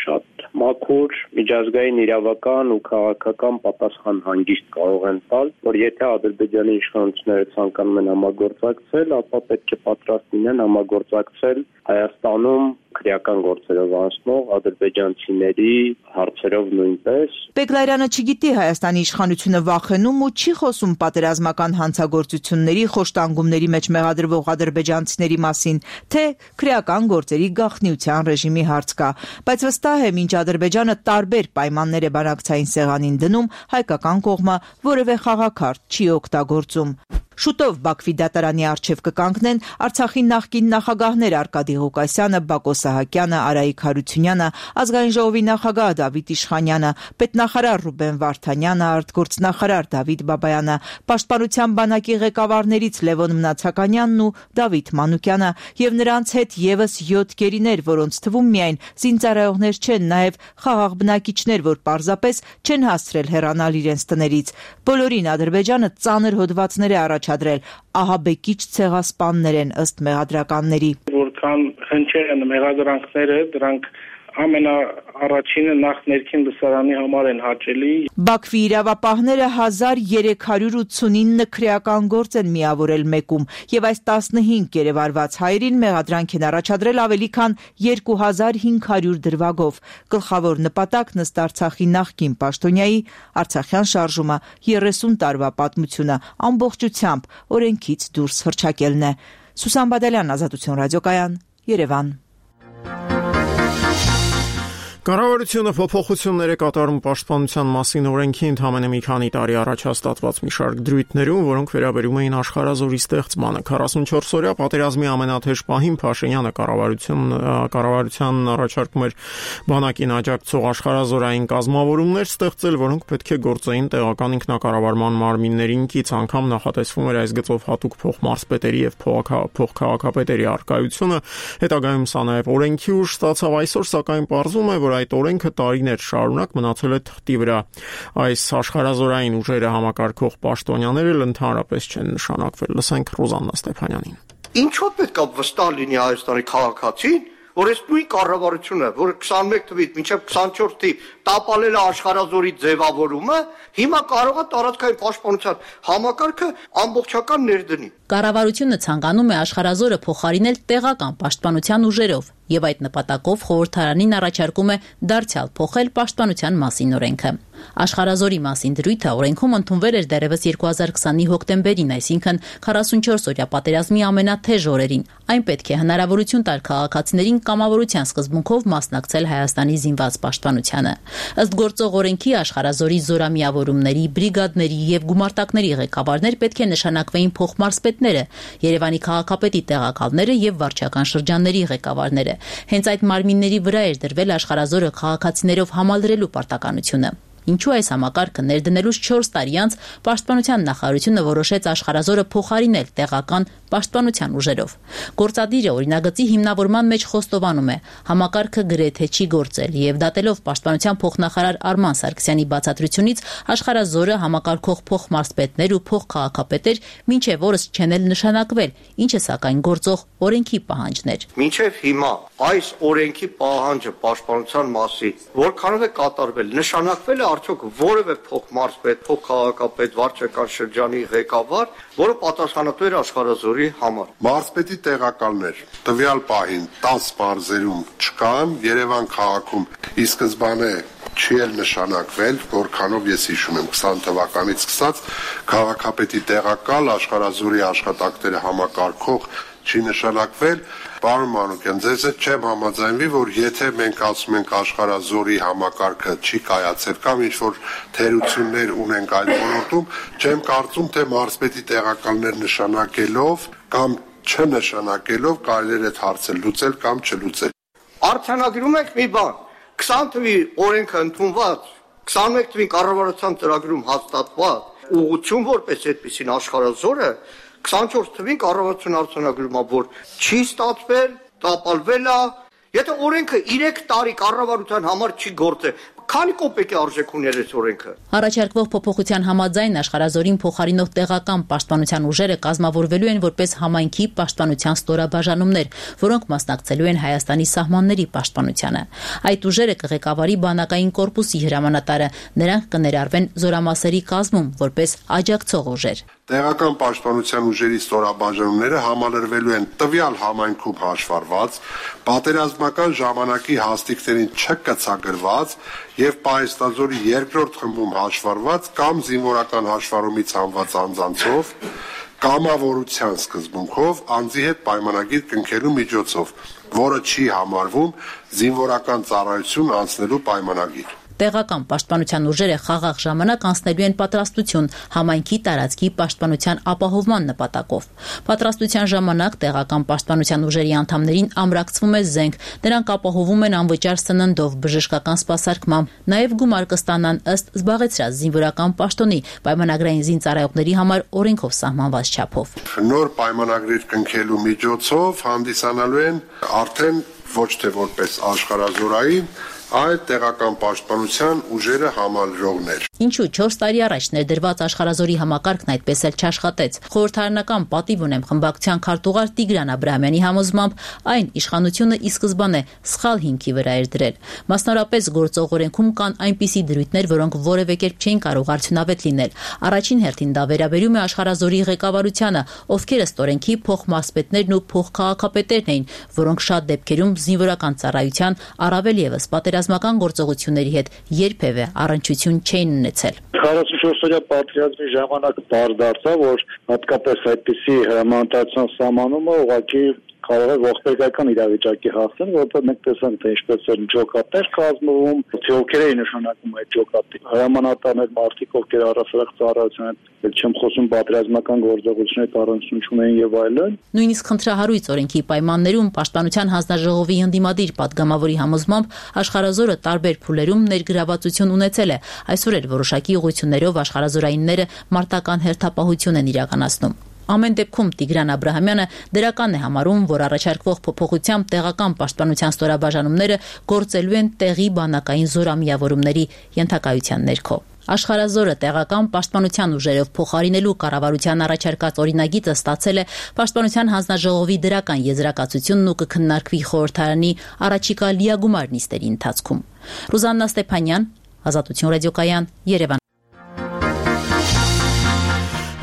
շատ մաքուր, միջազգային իրավական ու քաղաքական պատասխան հանգիստ կարող են տալ, որ եթե Ադրբեջանի իշխանությունները ցանկանում են համագործակցել, ապա պետք է պատրաստ լինեն համագործակցել Հայաստանում քրեական գործերով անցնող ադրբեջանցիների հարցերով նույնպես։ Բեգլարյանը չգիտի Հայաստանի իշխանությունը վախենում ու չի խոսում պատերազմական հանցագործությունների, խոշտանգումների մեջ մեղադրվող ադրբեջանցիների մասին, թե քրեական գործերի գաղտնիության ռեժիմի հարց կա, բայց վստահ է, մինչ Ադրբեջանը տարբեր պայմաններ է բանակցային սեղանին դնում, հայկական կողմը որևէ խաղաքարտ չի օգտագործում։ Շուտով Բաքվի դատարանի առջև կկանգնեն Արցախի նախկին նախագահներ Արկադի Ղուկասյանը, Բակո Սահակյանը, Արայիկ Հարությունյանը, Ազգային ժողովի նախագահ Դավիթ Իշխանյանը, պետնախարար Ռուբեն Վարդանյանը, արտգործնախարար Դավիթ Բաբայանը, Պաշտպանության բանակի ղեկավարներից Լևոն Մնացականյանն ու Դավիթ Մանուկյանը եւ նրանց հետ եւս յոթ գերիներ, որոնց թվում միայն զինծառայողներ չեն, նաեւ խաղաղ բնակիչներ, որ պարզապես չեն հասցրել հեռանալ իրենց տներից։ Բոլորին Ադրբեջանը ծանր հոդվածներ է առաջադրել, ահաբեկիչ ցեղասպաններ են ըստ մեղադրականների։ Որքան հնչել են մեղադրանքները, դրանք ամենաառաջինը նախ ներքին լսարանի համար են հաճելի։ Բաքվի իրավապահները հազար երեք հարյուր ութսունինը քրեական գործ են միավորել մեկում եւ այս տասնհինգ գերեվարված հայերին մեղադրանք են առաջադրել ավելի քան երկու հազար հինգ հարյուր դրվագով։ Գլխավոր նպատակն ըստ Արցախի նախկին պաշտոնյայի Արցախյան շարժումը երեսուն տարվա պատմությունը ամբողջությամբ օրենքից դուրս հռչակելն է։ Սուսան Բադալյան, Ազատություն ռադիոկայան, Երևան։ Կառավարությունը փոփոխություններ է կատարում պաշտպանության մասին օրենքի ընդամենը մի քանի տարի առաջ հաստատված մի շարք դրույթներում, որոնք վերաբերում էին աշխարհազորի ստեղծմանը։ քառասունչորս օրյա պատերազմի ամենաթեժ պահին Փաշինյանը կառավարություն կառավարության առաջարկում էր բանակին աջակցող աշխարհազորային կազմավորումներ ստեղծել, որոնք պետք է գործեին տեղական ինքնակառավարման մարմիններին կից, անգամ նախատեսվում էր այս գծով հատուկ փոխմարզպետերի եւ փոխքաղաքապետերի արկայությունը։ Հետագայում սա նաեւ օրենքի ուժ ստացավ, այսօր սակայն պարզվում է, որ այդ օրենքը տարիներ շարունակ մնացել է թղթի վրա։ Այս աշխարհազորային ուժերը համակարգող պաշտոնյաները ընդհանրապես չեն նշանակվել։ Լսենք Ռոզաննա Ստեփանյանին։ Ինչո՞ւ պետք է վստահ լինի Հայաստանի քաղաքացին, որ այս նույն կառավարությունը, որը քսանմեկ թվականից մինչև քսանչորս թվականի տապալել է աշխարհազորի ձևավորումը, հիմա կարող է տարածքային պաշտպանության համակարգը ամբողջական ներդնի։ Կառավարությունը ցանկանում է աշխարհազորը փոխարինել տեղական պաշտպանության ուժերով եւ այդ նպատակով խորհրդարանին առաջարկում է դարձյալ փոխել պաշտպանության մասին օրենքը։ Աշխարհազորի մասին դրույթը օրենքում ընդունվել էր դեռևս երկու հազար քսանի հոկտեմբերին, այսինքն քառասունչորս օրյա պատերազմի ամենաթեժ օրերին։ Այն պետք է հնարավորություն տար քաղաքացիներին կամավորության սկզբունքով մասնակցել Հայաստանի զինված պաշտպանությանը։ Ըստ գործող օրենքի աշխարհազորի զորամիավորումների, բրիգադների եւ գումարտակների ղեկավարներ պետք է նշանակվեին փոխմարզպետները, Երևանի քաղաքապետի տեղակալները եւ վարչական շրջանների ղեկավարները։ Հենց այդ մարմինների վրա էր դրվել աշխարհազորը քաղաքացիներով համալրելու պարտականությունը։ Ինչու այս համակարգը ներդնելուց չորս տարի անց Պաշտպանության նախարարությունը որոշեց աշխարհազորը փոխարինել տեղական պաշտպանության ուժերով։ Գործադիրը օրինագծի հիմնավորման մեջ խոստովանում է, համակարգը գրեթե չի գործել եւ դատելով Պաշտպանության փոխնախարար Արման Սարգսյանի բացատրությունից աշխարհազորը համակարգող փոխմարզպետներ ու փոխքաղաքապետեր մինչեւ օրս չեն էլ նշանակվել, ինչը սակայն գործող օրենքի պահանջն էր։ Մինչև հիմա այս օրենքի պահանջը պաշտպանության մասին որքանով է կատարվել, նշանակվել է արդյոք որևէ փոխմարզպետ, փոխքաղաքապետ, վարչական շրջանի ղեկավար, որը պատասխանատու էր աշխարհազորի համար։ Մարզպետի տեղակալներ տվյալ պահին տասը մարզերում չկան, Երևան քաղաքում ի սկզբանե չի էլ նշանակվել, որքանով ես հիշում եմ քսան թվականից սկսած քաղաքապետի տեղակալ աշխարհազորի աշխատակները համակարգող չի նշանակվել։ Պարոն Մանուկյան, ձեզ հետ չեմ համաձայնվի, որ եթե մենք ասում ենք աշխարհազորի համակարգը չի կայացել կամ ինչ-որ թերություններ ունենք այդ ոլորտում, չեմ կարծում, թե մարզպետի տեղակալներ նշանակելով կամ չնշանակելով կարելի է այդ հարցը լուծել կամ չլուծել։ Արձանագրում ենք մի բան, քսան թվի օրենքը ընդունված, քսանմեկ թվին կառավարության ծրագրում հաստատված ուղղություն որպես այդպեսին աշխարհազորը քսանչորս թվին կառավարություն արձանագրում է, որ չի ստացվել, տապալվել է, եթե օրենքը երեք տարի կառավարության համար չի գործել, քանի կոպեկի արժեք ուներ այս օրենքը։ Առաջարկվող փոփոխության համաձայն աշխարհազորին փոխարինող տեղական պաշտպանության ուժերը կազմավորվելու են որպես համայնքի պաշտպանության ստորաբաժանումներ, որոնք մասնակցելու են Հայաստանի սահմանների պաշտպանությանը։ Այդ ուժերը կղեկավարի բանակային կորպուսի հրամանատարը, նրանք կներառվեն զորամասերի կազմում որպես աջակցող ուժեր։ Տեղական պաշտպանության ուժերի ստորաբաժանումները համալրվելու են տվյալ համայնքում հաշվառված, պատերազմական ժամանակի հաստիկներին չկցագրված եւ պահեստազորի երկրորդ խմբում հաշվառված կամ զինվորական հաշվառումից հանված անձանցով, կամավորության սկզբունքով անձի հետ պայմանագիր կնքելու միջոցով, որը չի համարվում զինվորական ծառայություն անցնելու պայմանագիր։ Տեղական պաշտպանության ուժերը խաղաղ ժամանակ անցնելու են պատրաստություն համայնքի տարածքի պաշտպանության ապահովման նպատակով։ Պատրաստության ժամանակ տեղական պաշտպանության ուժերի անդամներին ամրացվում է զենք, նրանք ապահովում են անվճար սննդով, բժշկական սպասարկմամբ, նաև գումար կստանան ըստ զբաղեցրած զինվորական պաշտոնի պայմանագրային զինծառայողների համար օրենքով սահմանված չափով։ Նոր պայմանագրեր կնքելու միջոցով հանդիսանալու են արդեն ոչ թե որպես աշխարհազորային այդ տեղական պաշտպանության ուժերը համալրողներ։ Ինչու չորս տարի առաջ ներդրված աշխարհազորի համակարգն այդպես էլ չաշխատեց։ Խորհրդարանական պատիվ ունեմ խմբակցության քարտուղար Տիգրան Աբրահամյանի համոզմամբ այն իշխանությունը ի սկզբանե սխալ հիմքի վրա էր դրել։ Մասնավորապես գործող օրենքում կան այնպիսի դրույթներ, որոնք որևէ կերպ չէին կարող արդյունավետ լինել։ Առաջին հերթին դա վերաբերում է աշխարհազորի ղեկավարությանը, ովքեր ըստ օրենքի փոխմարզպետներն ու փոխքաղաքապետերն էին, որոնք շատ դեպքերում զինվորական ծառայության, առավել եւս պատերազմական գործողությունների հետ երբևէ առնչություն չէին ունեցել։ քառասունչորս օրյա պատերազմի ժամանակ բարձ դարձավ, որ հատկապես այդպիսի հրամանատարության սահմանումը ուղղակի կարող է ողբերգական իրավիճակի հասնել, որտեղ մենք տեսանք, թե ինչպես են ջոկատներ կազմվում, թե ովքեր էին նշանակում այդ ջոկատի հրամանատարներ, մարդիկ, ովքեր առասարակ ծառայության հետ չեմ խոսում պատերազմական գործողությունների առանցություն ունեն եւ այլն։ Նույնիսկ խնդրահարույց օրենքի պայմաններում Պաշտպանության հանձնաժողովի ընդդիմադիր պատգամավորի համոզմամբ աշխարհազորը տարբեր փուլերում ներգրավվածություն ունեցել է։ Այսօր էլ որոշակի ուղղություններով աշխարհազորայինները մարտական հերթապահություն են իրականացնում։ Ամեն դեպքում Տիգրան Աբրահամյանը դրական է համարում, որ առաջարկվող փոփոխությամբ տեղական պաշտպանության ստորաբաժանումները գործելու են տեղի բանակային զորամիավորումների ենթակայության ներքո։ Աշխարհազորը տեղական պաշտպանության ուժերով փոխարինելու կառավարության առաջարկած օրինագիծը ստացել է Պաշտպանության հանձնաժողովի դրական եզրակացությունն ու կքննարկվի խորհրդարանի առաջիկա լիագումար նիստերի ընթացքում։ Ռուզաննա Ստեփանյան, Ազատություն ռադիոկայան, Երևան։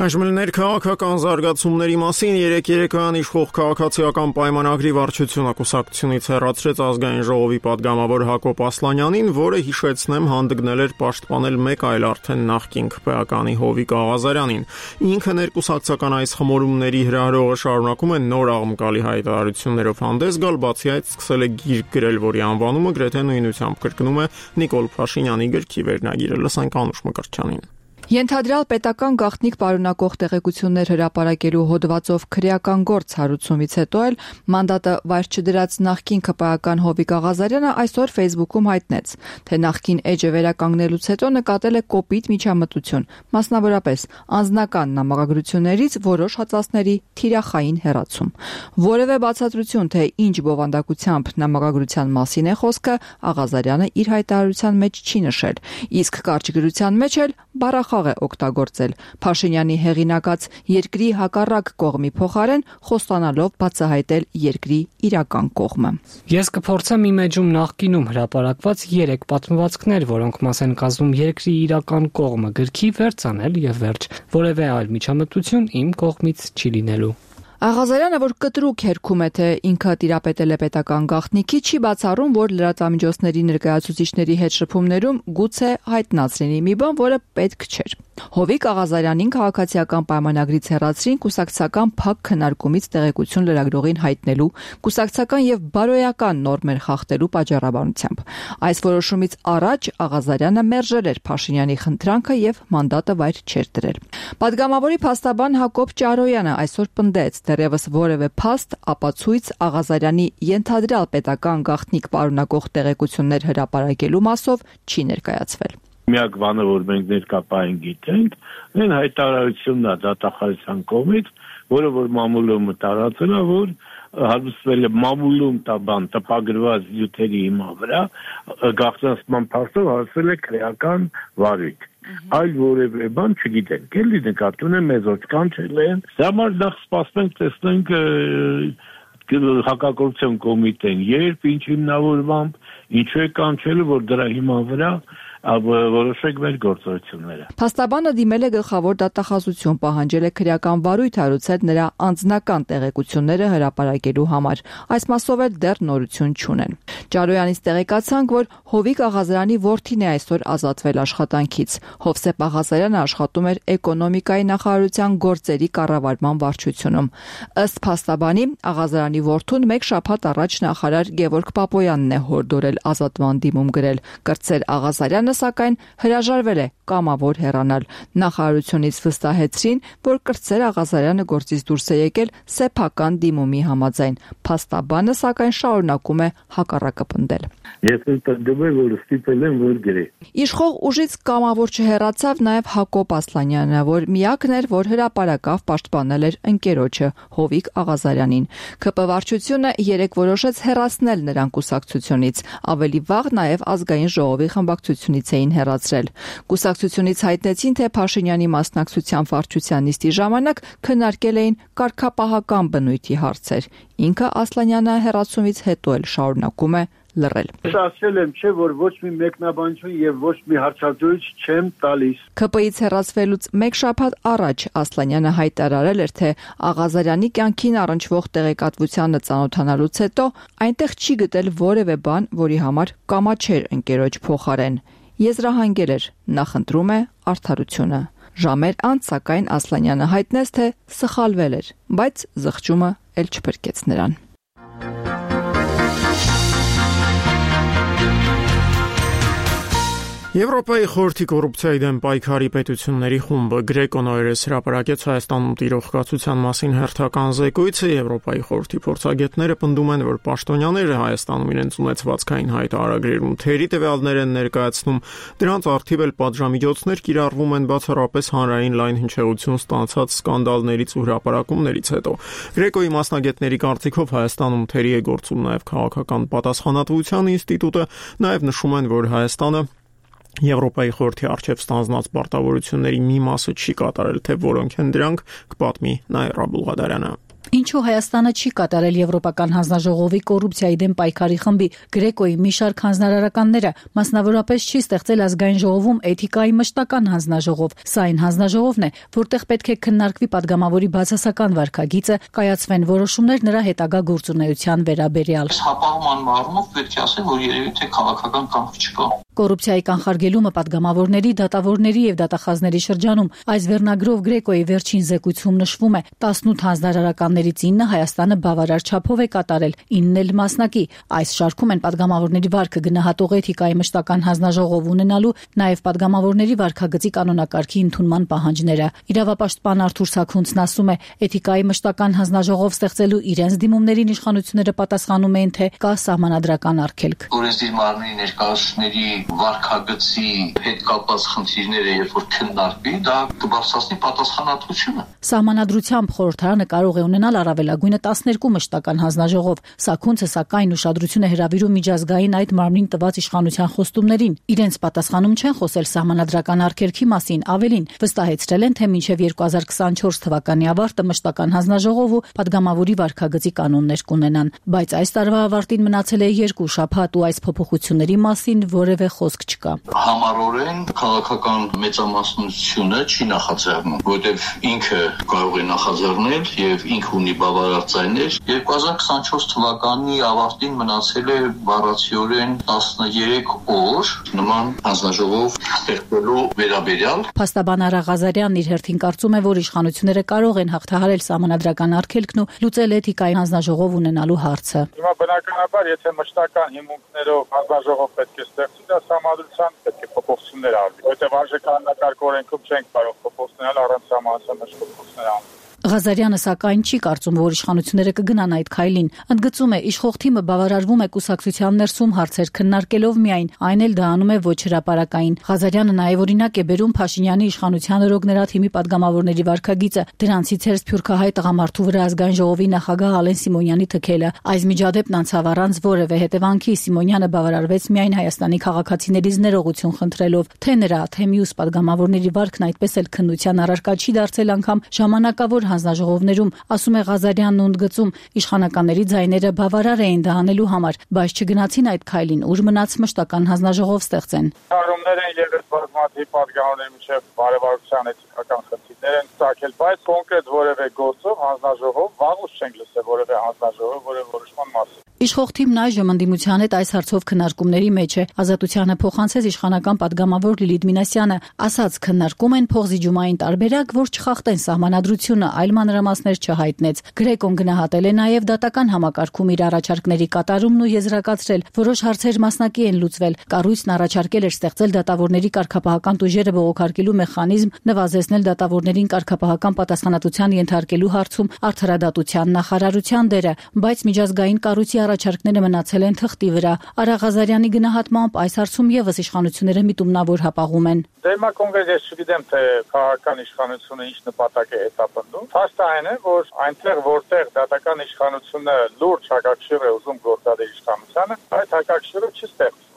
Այժմ քաղաքական զարգացումների մասին երեք երեկոյան իշխող քաղաքացիական պայմանագրի վարչությունը կուսակցությունից հեռացրեց ազգային ժողովի պատգամավոր Հակոբ Ասլանյանին, որը հիշեցնեմ հանդգնել էր պաշտպանել մեկ այլ արդեն նախկին ՔՊԱ-կանի Հովիկ Աղազարյանին։ Ինքը ներկուսակցական այս խմորումների հրահրողը շարունակում է նոր աղմկալի հայտարարություններով հանդես գալ, բացի այդ սկսել է գիրք գրել, որի անվանումը գրեթե նույնությամբ կրկնում է Նիկոլ Փաշինյանի գրքի վերնագիրը։ Լսենք Անուշ Մկրտչյանին։ Ենթադրյալ պետական գաղտնիք պարունակող տեղեկություններ հրապարակելու հոդվածով քրեական գործ հարուցումից հետո էլ մանդատը վայր չդրած նախկին ՔՊԱ-ական Հովիկ Աղազարյանը այսօր Facebook-ում հայտնեց, թե նախկին էջը վերականգնելուց հետո նկատել է կոպիտ միջամտություն, մասնավորապես անձնական նամակագրություններից որոշ հատվածների թիրախային հեռացում։ Որևէ բացատրություն, թե ինչ բովանդակությամբ նամակագրության մասին է խոսքը, Աղազարյանը իր հայտարարության մեջ չի նշել, իսկ կարճ գրության մեջ էլ բառախաղ է օգտագործել, Փաշինյանի հեղինակած երկրի հակառակ կողմի փոխարեն խոստանալով բացահայտել երկրի իրական կողմը։ Ես կփորձեմ իմ էջում նախկինում հրապարակված երեք պատմվածքներ, որոնք մաս են կազմում երկրի իրական կողմը, գրքի վերցանել եւ վերջ, որևէ այլ միջամտություն իմ կողմից չի լինելու։ Աղազարյանը, որ կտրուկ հերքում է, թե ինքը տիրապետել է պետական գաղտնիքի, չի բացառում, որ լրատվամիջոցների ներկայացուցիչների հետ շփումներում գուցե հայտնած լինի մի բան, որը պետք չէր։ Հովիկ Աղազարյանին քաղաքացիական պայմանագրից հեռացրին կուսակցական փակ քննարկումից տեղեկություն լրագրողին հայտնելու, կուսակցական եւ բարոյական նորմեր խախտելու պատճառաբանությամբ։ Այս որոշումից առաջ Աղազարյանը մերժել էր Փաշինյանի խնդրանքը եւ մանդատը վայր չէր դրել։ Պատգամավորի փաստաբան Հակոբ Ճարոյանը այսօր պնդեց, դեռևս որևէ փաստ, ապացույց Աղազարյանի ենթադրյալ պետական գաղտնիք պարունակող տեղեկություններ հրապարակելու մասով չի ներկայացվել։ Միակ բանը, որ մենք ներկայացին գիտենք, այն հայտարարությունն է դատախազության կողմից, որը որ մամուլումը տարածել է, որ հարուցվել է մամուլում տաբան տպագրված յութերի հիման վրա, գաղտնացման փաստով հարուցվել է քրեական վարույթ։ Այլ որևէ բան չգիտենք, էլի նկատում եմ մեզ ոչ կանչել են։ Դա համար նախ սպասենք, տեսնենք հակակորուպցիոն կոմիտեն երբ, ինչ հիմնավորմամբ, ինչու է կանչել, որ դրա հիման վրա որոշեք մեր գործողությունները։ Փաստաբանը դիմել է գլխավոր դատախազություն, պահանջել է քրեական վարույթ հարուցել նրա անձնական տեղեկությունները հրապարակելու համար։ Այս մասով էլ դեռ նորություն չունեն։ Ճարոյանից տեղեկացանք, որ Հովիկ Աղազարյանի որդին է այսօր ազատվել աշխատանքից։ Հովսեփ Աղազարյանը աշխատում էր էկոնոմիկայի նախարարության գործերի կառավարման վարչությունում։ Ըստ փաստաբանի, Աղազարյանի որդուն մեկ շաբաթ առաջ նախարար Գևորգ Պապոյանն է հորդորել ազատվան դիմում գրել։ Կրտսեր Աղազարյանը սակայն հրաժարվել է կամավոր հեռանալ։ Նախարարությունից վստահեցրին, որ Կրտսեր Աղազարյանը գործից դուրս է եկել սեփական դիմումի համաձայն։ Փաստաբանը սակայն շարունակում է հակառակը պնդել։ Ես ընդդեմ եմ, որ ստիպել եմ, որ գրի։ Իշխող ուժից կամավոր չհեռացավ նաև Հակոբ Ասլանյանը, որ միակն էր, որ հրապարակավ պաշտպանել էր ընկերոջը Հովիկ Աղազարյանին։ ՔՊ վարչությունը երեք որոշեց հեռացնել նրան կուսակցությունից։ Ավելի վաղ նաև ազգային ժողովի խմբակցությունից էին հեռացրել։ Կուսակցությունից հայտնեցին, թե Փաշինյանի մասնակցության վարչության նիստի ժամանակ քննարկել էին կարգապահական բնույթի հարցեր։ Ինքը Ասլանյանը հեռացումից հետո էլ շարունակում է լռել։ Ես ասել եմ, չէ, որ ոչ մի մեկնաբանություն եւ ոչ մի հարցադրույց չեմ տալիս։ ՔՊ-ից հեռացվելուց մեկ շաբաթ առաջ Ասլանյանը հայտարարել էր, թե Աղազարյանի կյանքին առնչվող տեղեկատվությանը ծանոթանալուց հետո այնտեղ չի գտել որևէ բան, որի համար կամաչեր ընկերոջ փոխարեն։ Եզրահանգել էր, նախընտրում է արդարությունը։ Ժամեր անց սակայն Ասլանյանը հայտնեց, թե սխալվել էր, բայց զղջումը էլ չփրկեց նրան։ Եվրոպայի խորհրդի կոռուպցիայի դեմ պայքարի պետությունների խումբը Գրեկոն օրերս հրապարակեց Հայաստանում տիրող կացության մասին հերթական զեկույցը։ Եվրոպայի խորհրդի փորձագետները պնդում են, որ պաշտոնյաները Հայաստանում իրենց ունեցվածքային հայտարարագրերում թերի տվյալներ են ներկայացնում, դրանց առթիվ էլ պատժամիջոցներ կիրառվում են բացառապես հանրային լայն հնչեղություն ստացած սկանդալներից ու հրապարակումներից հետո։ Գրեկոյի մասնագետների կարծիքով Հայաստանում թերի է գործում նաև քաղաքական պատասխանատվության ինստիտուտը, նաև նշում են, որ Հայաստանը Եվրոպայի խորհրդի առջև ստանձնած պարտավորությունների մի մասը չի կատարել, թե որոնք են դրանք, կպատմի Նաիրա Բուլղադարյանը։ Ինչու Հայաստանը չի կատարել Եվրոպական հանձնաժողովի կոռուպցիայի դեմ պայքարի խմբի Գրեկոյի մի շարք հանձնարարականները, մասնավորապես չի ստեղծել ազգային ժողովում էթիկայի մշտական հանձնաժողով։ Սա այն հանձնաժողովն է, որտեղ պետք է քննարկվի падգամավորի բացասական վարքագիծը, կայացվեն որոշումներ նրա հետագա գործունեության վերաբերյալ։ Հապաղման առումով պետք է ասեմ, որ երևի թե քաղաքական կամք չկա։ Կոռուպցիայի կանխարգելումը падգամավորների, դատավորների եւ դատախազների շրջանում այս վերնագրով Գրեկոյի վերջին զեկույցում նշվում է տասնութ հանձնարարականներից ինը Հայաստանը բավարար չափով է կատարել, ինն էլ մասնակի։ Այս շարքում են падգամավորների վարքը գնահատող էթիկայի մշտական հանձնաժողով ունենալու, նաեւ падգամավորների վարքագծի կանոնակարգի ընդունման պահանջները։ Իրավապաշտպան Արթուր Սաքունցն ասում է, էթիկայի մշտական հանձնաժողով ստեղծելու իրենց դիմումներին իշխանությունները պատասխանում են, թե կա սահմանադրական արգելք։ Օրենսդիր մարմնի ներկայացուցիչների վարքագծի հետ կապված խնդիրները, երբ որ քննարկվի, դա կբարձրացնի պատասխանատվությունը։ Սահմանադրությամբ խորհրդարանը կարող է ունենալ առավելագույնը տասներկու մշտական հանձնաժողով։ Սաքունցը սակայն ուշադրություն է հրավիրում միջազգային այդ մարմնին տված իշխանության խոստումներին։ Իրենց պատասխանում չեն խոսել սահմանադրական արգելքի մասին, ավելին վստահեցրել են, թե մինչև երկու հազար քսանչորս թվականի ավարտը մշտական հանձնաժողով ու падգամավորի վարքագծի կանոններ կունենան։ Բայց այս տարվա ավարտին մնացել է երկու շաբաթ ու այս փոփոխությունների մասին որևէ խոսք չկա։ Համառորեն քաղաքական մեծամասնությունը չի նախաձեռնում, որտեղ ինքը կարող է նախաձեռնել եւ ինքը ունի բավարար ձայներ։ երկու հազար քսանչորս թվականի ավարտին մնացել է բառացիորեն տասներեք օր նման հանձնաժողով ստեղծելու վերաբերյալ։ Փաստաբան Արա Ղազարյանն իր հերթին կարծում է, որ իշխանությունները կարող են հաղթահարել սահմանադրական արգելքն ու լուծել էթիկայի հանձնաժողով ունենալու հարցը։ Հիմա բնականաբար, եթե մշտական հիմունքներով հանձնաժողով պետք է ստեղծի, դա սահմանադրության պետք է փոփոխություններ արվի, որտեղ արժեքաննակարգ օրենքում չենք կարող փոփոխություններ առանց սահմանադրության փոփոխություններ անել։ Ղազարյանը սակայն չի կարծում, որ իշխանությունները կգնան այդ քայլին։ Ընդգծում է, իշխող թիմը բավարարվում է կուսակցության ներսում հարցեր քննարկելով միայն, այն էլ դա անում է ոչ հրապարակային։ Ղազարյանը նաև օրինակ է բերում Փաշինյանի իշխանության օրոքներա թիմի падգամավորների վարքագիծը, դրանցից էր սփյուռքահայ տղամարդու վրա ազգային ժողովի նախագահ Ալեն Սիմոնյանի թքելը։ Այս միջադեպն անցավ առանց որևէ հետևանքի, Սիմոնյանը բավարարվեց միայն Հայաստանի քաղաքացիներից ներողություն խնդրելով, թե նրա, թե մյուս падգամավորների վարքն այդպես էլ քննության առարկա չի դարձել անգամ ժամանակավոր հանձնաժողովներում, ասում է Ղազարյանն ու ընդգծում, իշխանականների ձայները բավարար էին դա անելու համար, բայց չգնացին այդ քայլին, ուր մնաց մշտական հանձնաժողով ստեղծեն։ Հարումներ են եղել բազմաթիվ падգամավորների միջև բարևարության էթիկական խնդիրներ են ցակել, բայց կոնկրետ որևէ գործով հանձնաժողով վաղուց չենք լսել որևէ հանձնաժողով որևէ որոշման մասին։ Իշխող թիմն այժմ ընդդիմության հետ այս հարցով քննարկումների մեջ է։ Ազատությանը փոխանցեց իշխանական падգամավոր Լիլիթ Մինասյանը, ասաց քննարկում են փոխզիջումային տարբերակ, որ չխախտեն սահմանադրությունը, այլ մանրամասներ չհայտնեց։ Գրեկոն գնահատել է նաև դատական համակարգում իր առաջարկների կատարումն ու եզրակացրել, որոշ հարցեր մասնակի են լուծվել։ Կառույցն առաջարկել էր ստեղծել դատավորների կարգապահական տուժերը բողոքարկելու մեխանիզմ, նվազեցնել դատավորներին կարգապահական պատասխանատվության ենթարկելու հարցում արդարադատության նախարարության դերը, բայց միջազգային կառույցի առաջարկները մնացել են թղթի վրա։ Արա Ղազարյանի գնահատմամբ այս հարցում եւս իշխանությունները միտումնավոր հապաղում են։ Դե հիմա կոնկրետ ես չգիտեմ, թե քաղաքական իշխանությունը ինչ նպատակ է հետապնդում։ Փաստը այն է, որ այնտեղ որտեղ դատական իշխանությունը լուրջ հակակշիռ է ուզում գործադել իշխանությանը, այդ հակակշիռը չի ստեղծվում։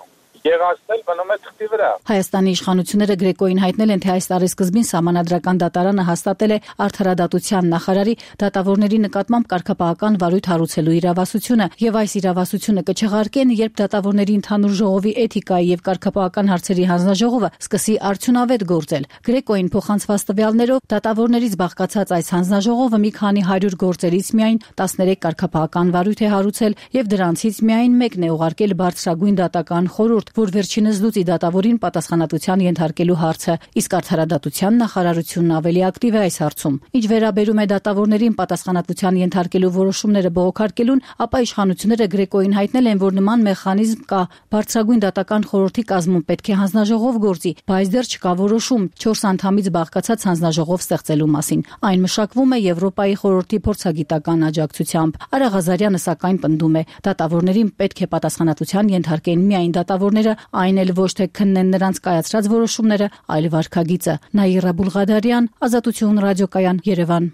Եղածն էլ մնում է թղթի վրա։ Հայաստանի իշխանությունները Գրեկոյին հայտնել են, թե այս տարի սկզբին սահմանադրական դատարանը հաստատել է արդարադատության նախարարի դատավորների նկատմամբ կարգապահական վարույթ հարուցելու իրավասությունը, եւ այս իրավասությունը կչեղարկեն, երբ դատավորների ընդհանուր ժողովի էթիկայի եւ կարգապահական հարցերի հանձնաժողովը սկսի արդյունավետ գործել։ Գրեկոյին փոխանցված տվյալներով դատավորներից բաղկացած այս հանձնաժողովը մի քանի հարյուր գործերից միայն տասներեք կարգապահական վարույթ է հարուցել եւ դրանցից միայն մեկն է ուղարկել բարձրագույն դատական խորհուրդ, որ վերջինս լուծի դատավորին պատասխանատվության ենթարկելու հարցը, իսկ արդարադատության նախարարությունն ավելի ակտիվ է այս հարցում։ Ինչ վերաբերում է դատավորներին պատասխանատվության ենթարկելու որոշումները բողոքարկելուն, ապա իշխանությունները Գրեկոյին հայտնել են, որ նման մեխանիզմ կա, բարձրագույն դատական խորհրդի կազմում պետք է հանձնաժողով գործի, բայց դեռ չկա որոշում չորս անդամից բաղկացած հանձնաժողով ստեղծելու մասին։ Այն մշակվում է Եվրոպայի խորհրդի փորձագիտական աջակցությամբ։ Արա Ղազարյանը սակայն պնդում է, դատավորներին պետք է պատասխանատվության ենթարկեն միայն դատավորները, այն էլ ոչ թե քննեն նրանց կայացրած որոշումները, այլ վարքագիծը։ Նաիրա Բուլղադարյան, Ազատություն ռադիոկայան, Երևան։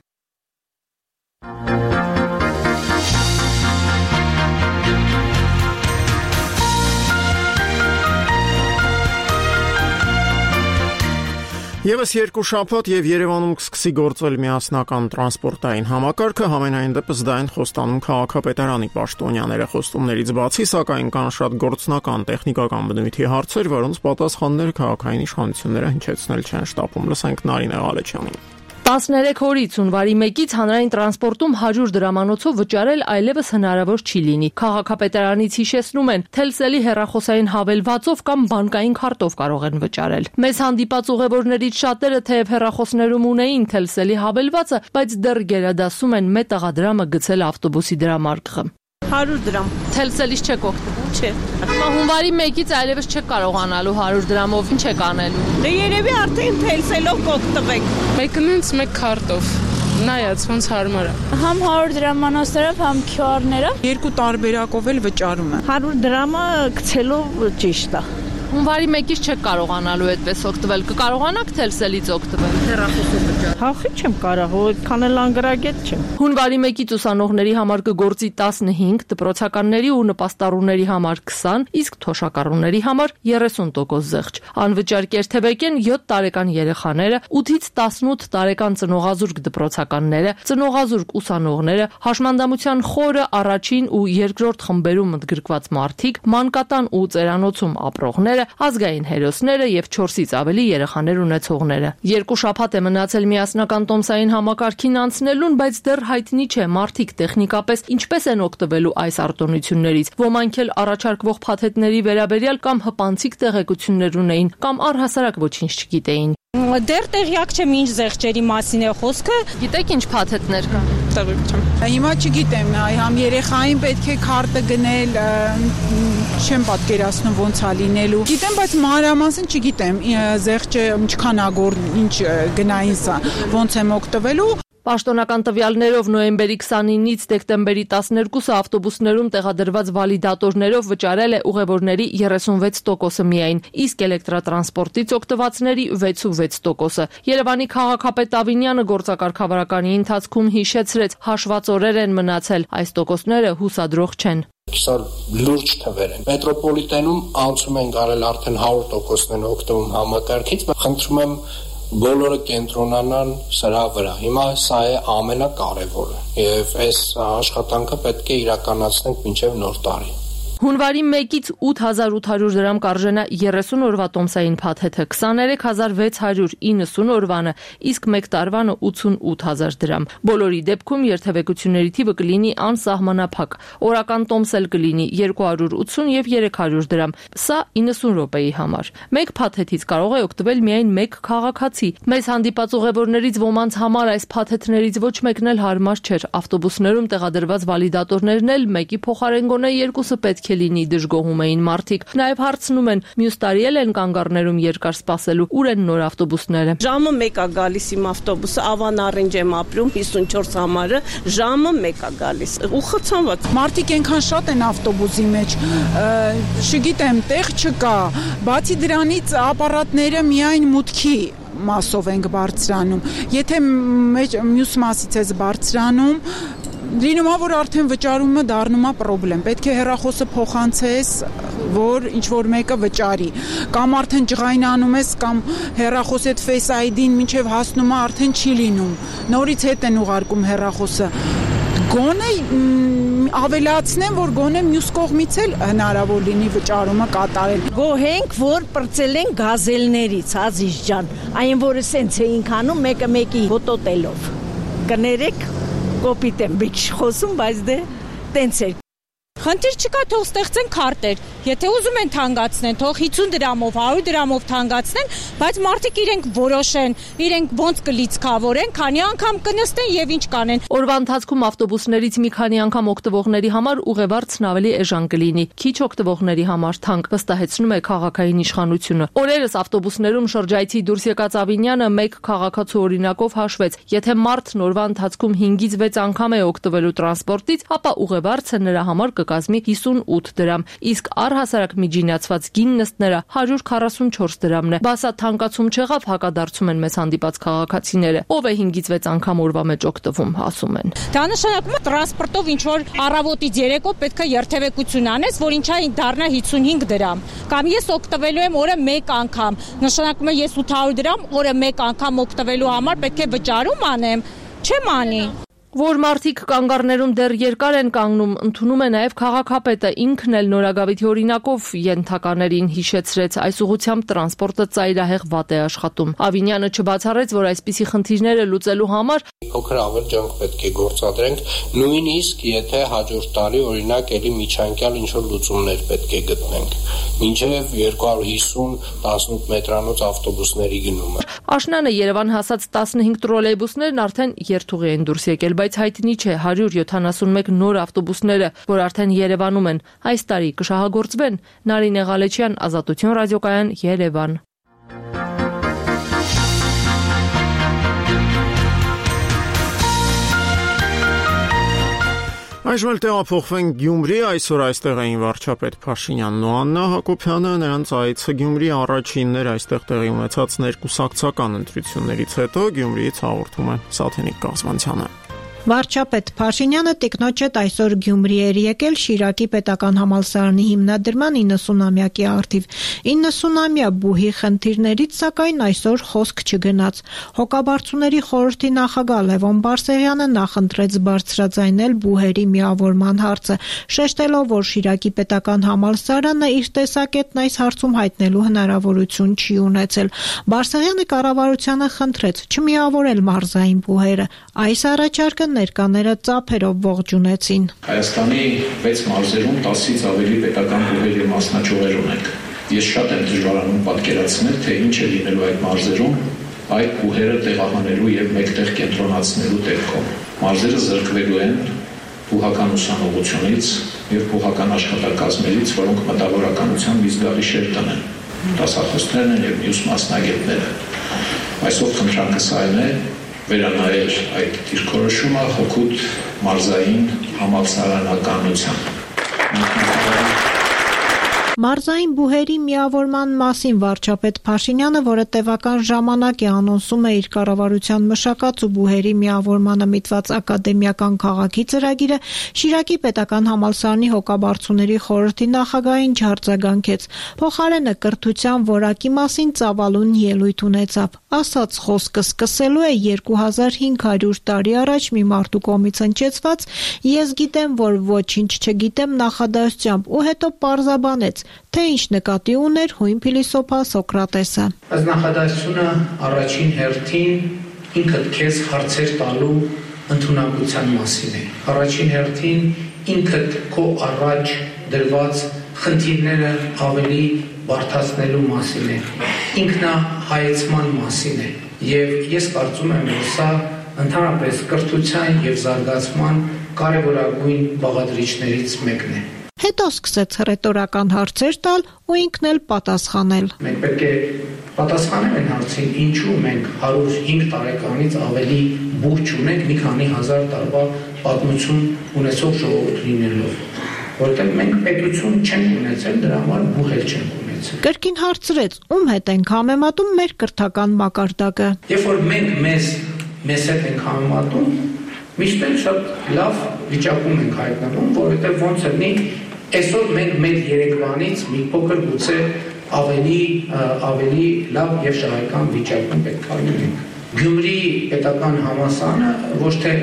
Եվս երկու շաբաթ եւ Երևանում կսկսի գործել միասնական տրանսպորտային համակարգը, համենայն դեպս դա են խոստանում քաղաքապետարանի պաշտոնյաները խոստումներից բացի, սակայն կան շատ գործնական տեխնիկական բնույթի հարցեր, որոնց պատասխանները քաղաքային իշխանությունները հնչեցնել չեն շտապում։ Լսենք Նարինե Ղալեչյանին։ տասներեք օրից հունվարի մեկից հանրային տրանսպորտում հարյուր դրամանոցով վճարել այլևս հնարավոր չի լինի։ Քաղաքապետարանից հիշեցնում են, Telcel-ի հեռախոսային հավելվածով կամ բանկային քարտով կարող են վճարել։ Մեզ հանդիպած ուղևորներից շատերը թեև հեռախոսներում ունեին Telcel-ի հավելվածը, բայց դեռ գերադասում են մետաղադրամը գցել ավտոբուսի դրամարկղը։ հարյուր դրամ։ Telcel-ից չեք օգտվում, չէ։ Հունվարի մեկից այլևս չեք կարողանալու հարյուր դրամով ինչ եք անելու։ Դե երևի արդեն Telcel-ով կօգտվեք։ Մեկնից մեկ քարտով։ Նայած ոնց հարմար է։ Համ հարյուր դրամանոցներով, համ քյու ար-ներով։ Երկու տարբերակով էլ վճարում է։ հարյուր դրամը գցելով ճիշտ է։ Հունվարի մեկից չեք կարողանալու այդպես օգտվել։ Կկարողանաք Telcel-ից օգտվել հեռախոսով վճարել։ Հախի չեմ կարող, այդքան էլ անգրագետ չեմ։ Հունվարի մեկից ուսանողների համար կգործի տասնհինգ, դպրոցականների ու նպաստառուների համար քսան, իսկ թոշակառուների համար երեսուն տոկոս զեղչ։ Անվճար կերթեվեկեն յոթ տարեկան երեխաները, ութից տասնութ տարեկան ծնողազուրկ դպրոցականները, ծնողազուրկ ուսանողները, հաշմանդամության խորը առաջին ու երկրորդ խմբերում ընդգրկված մարդիկ, մանկատան ու ծերանոցում ապրողները, ազգային հերոսները եւ չորսից ավելի երեխաներ ունեցողները։ Երկու շաբաթ է մնացել միասնական տոմսային համակարգին անցնելուն, բայց դեռ հայտնի չէ մարդիկ տեխնիկապես ինչպես են օգտվելու այս արտոնություններից։ Ոմանք էլ առաջարկվող փաթեթների վերաբերյալ կամ հպանցիկ տեղեկություններ ունեին, կամ առհասարակ ոչինչ չգիտեին։ Դեռ տեղյակ չեմ ինչ զեղչերի մասին է խոսքը։ Գիտեք ինչ փաթեթներ կան։ Տեղյակ չեմ։ Հիմա չգիտեմ, համ երեխային պետք է քարտը գնել, չեմ պատկերացնում ոնց է լինելու։ Գիտեմ, բայց մանրամասն չգիտեմ, զեղչը ինչքան ագոր, ինչ գնային սա, ոնց եմ օգտվելու։ Պաշտոնական տվյալներով նոյեմբերի քսանինից դեկտեմբերի տասներկուսը ավտոբուսներում տեղադրված վալիդատորներով վճարել է ուղևորների երեսունվեց տոկոսը միայն, իսկ էլեկտրատրանսպորտից օգտվածների վեցուվեց տոկոսը։ Երևանի քաղաքապետ Ավինյանը գործակարգավարականի ընթացքում հիշեցրեց, հաշված օրեր են մնացել, այս տոկոսները հուսադրող չեն։ Սա լուրջ թվեր են։ Մետրոպոլիտենում անցում են գարել արդեն հարյուր տոկոսն են օգտվում համակարգից, խնդրում եմ բոլորը կենտրոնանան սրա վրա։ Հիմա սա է ամենակարևորը եւ այս աշխատանքը պետք է իրականացնենք մինչեւ նոր տարի։ Հունվարի մեկից ութ հազար ութ հարյուր դրամ կարժենա երեսուն օրվա տոմսային փաթեթը, քսաներեք հազար վեց հարյուր իննսուն օրվանը, իսկ մեկ տարվանը ութսունութ հազար դրամ։ Բոլորի դեպքում երթևեկությունների թիվը կլինի անսահմանափակ։ Օրական տոմս էլ կլինի երկու հարյուր ութսուն եւ երեք հարյուր դրամ։ Սա իննսուն րոպեի համար։ Մեկ փաթեթից կարող է օգտվել միայն մեկ քաղաքացի։ Մեզ հանդիպած ուղևորներից ոմանց համար այս փաթեթներից ոչ մեկն էլ հարմար չէր։ Ավտոբուսներում տեղադրված վալիդատորներն էլ մեկի փոխարեն գոնե երկուսը պետք է լինի, դժգոհում էին մարդիկ։ Նաև հարցնում են, մյուս տարի էլ են կանգառներում երկար սպասելու, ուր են նոր ավտոբուսները։ Ժամը մեկ է գալիս իմ ավտոբուսը, Ավանառինջ եմ ապրում, հիսունչորս համարը, ժամը մեկ է գալիս։ Ու խցանված։ Մարդիկ այնքան շատ են ավտոբուսի մեջ, չգիտեմ, տեղ չկա։ Բացի դրանից ապարատները միայն մուտքի մասով ենք բարձրանում։ Եթե մյուս մասից ես բարձրանում, լինում է, որ արդեն վճարումը դառնում է պրոբլեմ։ Պետք է հեռախոսը փոխանցես, որ ինչ որ մեկը վճարի, կամ արդեն ջղայնանում ես, կամ հեռախոսի հետ Face այ դին մինչև հասնում է արդեն չի լինում։ Նորից հետ են ուղարկում հեռախոսը։ Գոնե ավելացնեմ, որ գոնե մյուս կողմից էլ հնարավոր լինի վճարումը կատարել։ Գոհենք, որ պրծել են գազելներից, Ազիզ ջան, այն որը սենց էինք անում մեկը մեկի հոտոտելով։ Կներեք, կոպիտ եմ բիչ խոսում, բայց դե տենց էր։ Խնդիր չկա, թող ստեղծեն քարտեր։ Եթե ուզում են թանկացնեն, թող հիսուն դրամով, հարյուր դրամով թանկացնեն, բայց մարդիկ իրենք որոշեն, իրենք ոնց կլիցքավորեն, քանի անգամ կնստեն եւ ինչ կանեն։ Օրվա ընթացքում ավտոբուսներից մի քանի անգամ օգտվողների համար ուղևորցն ավելի էժան կլինի, քիչ օգտվողների համար թանկ, վստահեցնում է քաղաքային իշխանությունը։ Օրերս ավտոբուսներում շրջայցի դուրս եկած Ավինյանը մեկ քաղաքացու օրինակով հաշվեց, եթե մարդն օրվա ընթացքում հինգից վեց անգամ է օգտվելու տրանսպորտից, ապա ուղևորցը նրա համար կկազմի հիսունութ դրամ, իսկ առ Առհասարակ միջինացված գին նստները հարյուր քառասունչորս դրամն է։ Բասա թանկացում չեղավ, հակադարձում են մեզ հանդիպած քաղաքացիները։ Ով է հինգից վեց անգամ օրվա մեջ օգտվում, ասում են։ Դա նշանակում է տրանսպորտով ինչ որ առավոտից երեկո պետք է երթևեկություն անես, որ ինչա դառնա հիսունհինգ դրամ։ Կամ ես օգտվելու եմ օրը մեկ անգամ։ Նշանակում է ես ութ հարյուր դրամ օրը մեկ անգամ օգտվելու համար պետք է վճարում անեմ, չեմ անի։ Որ մարդիկ կանգառներում դեռ երկար են կանգնում, ընդունում է նաև քաղաքապետը, ինքն էլ Նորագավիթի օրինակով ենթականերին հիշեցրեց, այս ուղղությամբ տրանսպորտը ծայրահեղ վատ է աշխատում։ Ավինյանը չբացառեց, որ այսպիսի խնդիրները լուծելու համար փոքր ավել ջանք պետք է գործադրենք, նույնիսկ եթե հաջորդ տարի օրինակ էլի միջանկյալ ինչ-որ լուծումներ պետք է գտնենք, մինչև երկու հարյուր հիսուն տասնութ մետրանոց ավտոբուսների գնումը։ Աշնանը Երևան հասած տասնհինգ տրոլեյբուսներն արդեն երթուղի են դուրս եկել, բայց հայտնի չէ հարյուր յոթանասունմեկ նոր ավտոբուսները, որ արդեն Երևանում են, այս տարի կշահագործվեն։ Նարինե Ղալեչյան, Ազատություն ռադիոկայան, Երևան։ Այժմ էլ տեղափոխվենք Գյումրի, այսօր այստեղ էին վարչապետ Փաշինյանն ու Աննա Հակոբյանը, նրանց այցը Գյումրի առաջինն էր այստեղ տեղի ունեցած ներկուսակցական ընտրություններից հետո Գյումրիից հաղորդում է Սաթենիկ Կազմանցյանը։ Վարչապետ Փաշինյանը տիկնոջ հետ այսօր Գյումրի էր եկել Շիրակի պետական համալսարանի հիմնադրման իննսունամյակի առթիվ։ իննսունամյա բուհի խնդիրներից սակայն այսօր խոսք չգնաց։ Հոգաբարձուների խորհրդի նախագահ Լևոն Բարսեղյանը նախընտրեց բարձրաձայնել բուհերի միավորման հարցը, շեշտելով, որ Շիրակի պետական համալսարանը իր տեսակետն այս հարցում հայտնելու հնարավորություն չի ունեցել։ Բարսեղյանը կառավարությանը խնդրեց չմիավորել մարզային բուհերը։ Այս առաջարկը ներկաները ծափերով ողջունեցին։ Հայաստանի վեց մարզերում տասից ավելի պետական բուհերի մասնաճյուղեր ունենք։ Ես շատ եմ դժվարանում պատկերացնել, թե ինչ է լինելու այդ մարզերում այդ բուհերը տեղահանելու եւ մեկտեղ կենտրոնացնելու դեպքում։ Մարզերը զրկվելու են բուհական ուսանողությունից եւ բուհական աշխատակազմերից, որոնք մտավորականության մի զգալի շեր տնեն։ Դասախոսներն են եւ մյուս մասնագետները։ Այսօր խնդրանքս այն է վերանայել այդ դիրքորոշումը հօգուտ մարզային համալսարանականության։ Մարզային բուհերի միավորման մասին վարչապետ Փաշինյանը, որը տևական ժամանակ է անոնսում է իր կառավարության մշակած ու բուհերի միավորմանը միտված ակադեմիական քաղաքի ծրագիրը, Շիրակի պետական համալսարանի հոգաբարձուների խորհրդի նախագահին չարձագանքեց։ Փոխարենը կրթության որակի մասին ծավալուն ելույթ ունեցավ։ Ասաց խոսքը սկսելու է երկու հազար հինգ հարյուր տարի առաջ մի մարդու կողմից հնչեցված «Ես գիտեմ, որ ոչինչ չգիտեմ» նախադասությամբ ու հետո պարզաբանեց, թե ինչ նկատի ուներ հույն փիլիսոփա Սոկրատեսը։ Այս նախադասությունը առաջին հերթին ինքդ քեզ հարցեր տալու ընդունակության մասին է։ Առաջին հերթին ինքդ քո առաջ դրված խնդիրները ավելի բարդացնելու մասին է։ Ինքնահայեցման մասին է։ Եվ ես կարծում եմ, որ սա ընդհանրապես կրթության եւ զարգացման կարևորագույն բաղադրիչներից մեկն է։ Հետո սկսեց ռետորական հարցեր տալ ու ինքն էլ պատասխանել։ Մենք պետք է պատասխանենք այն հարցին, ինչու մենք հարյուր հինգ տարեկանից ավելի բուհ չունենք մի քանի հազար տարվա պատմություն ունեցող ժողովուրդ լինելով, որտեղ մենք պետություն չենք ունեցել, դրա համար բուհ էլ չենք ունեցել։ Կրկին հարցրեց, ում հետ ենք համեմատում մեր կրթական մակարդակը։ Երբ որ մենք մեզ մեզ հետ ենք համեմատում, միշտ էլ շատ լավ վիճակում ենք հայտնվում, որովհետև ոնց լինի այսօր մենք մեր երեկվանից մի փոքր գուցե ավելի ավելի լավ եւ շահեկան վիճակում պետք է լինենք։ Գյումրի պետական համալսարանը ոչ թե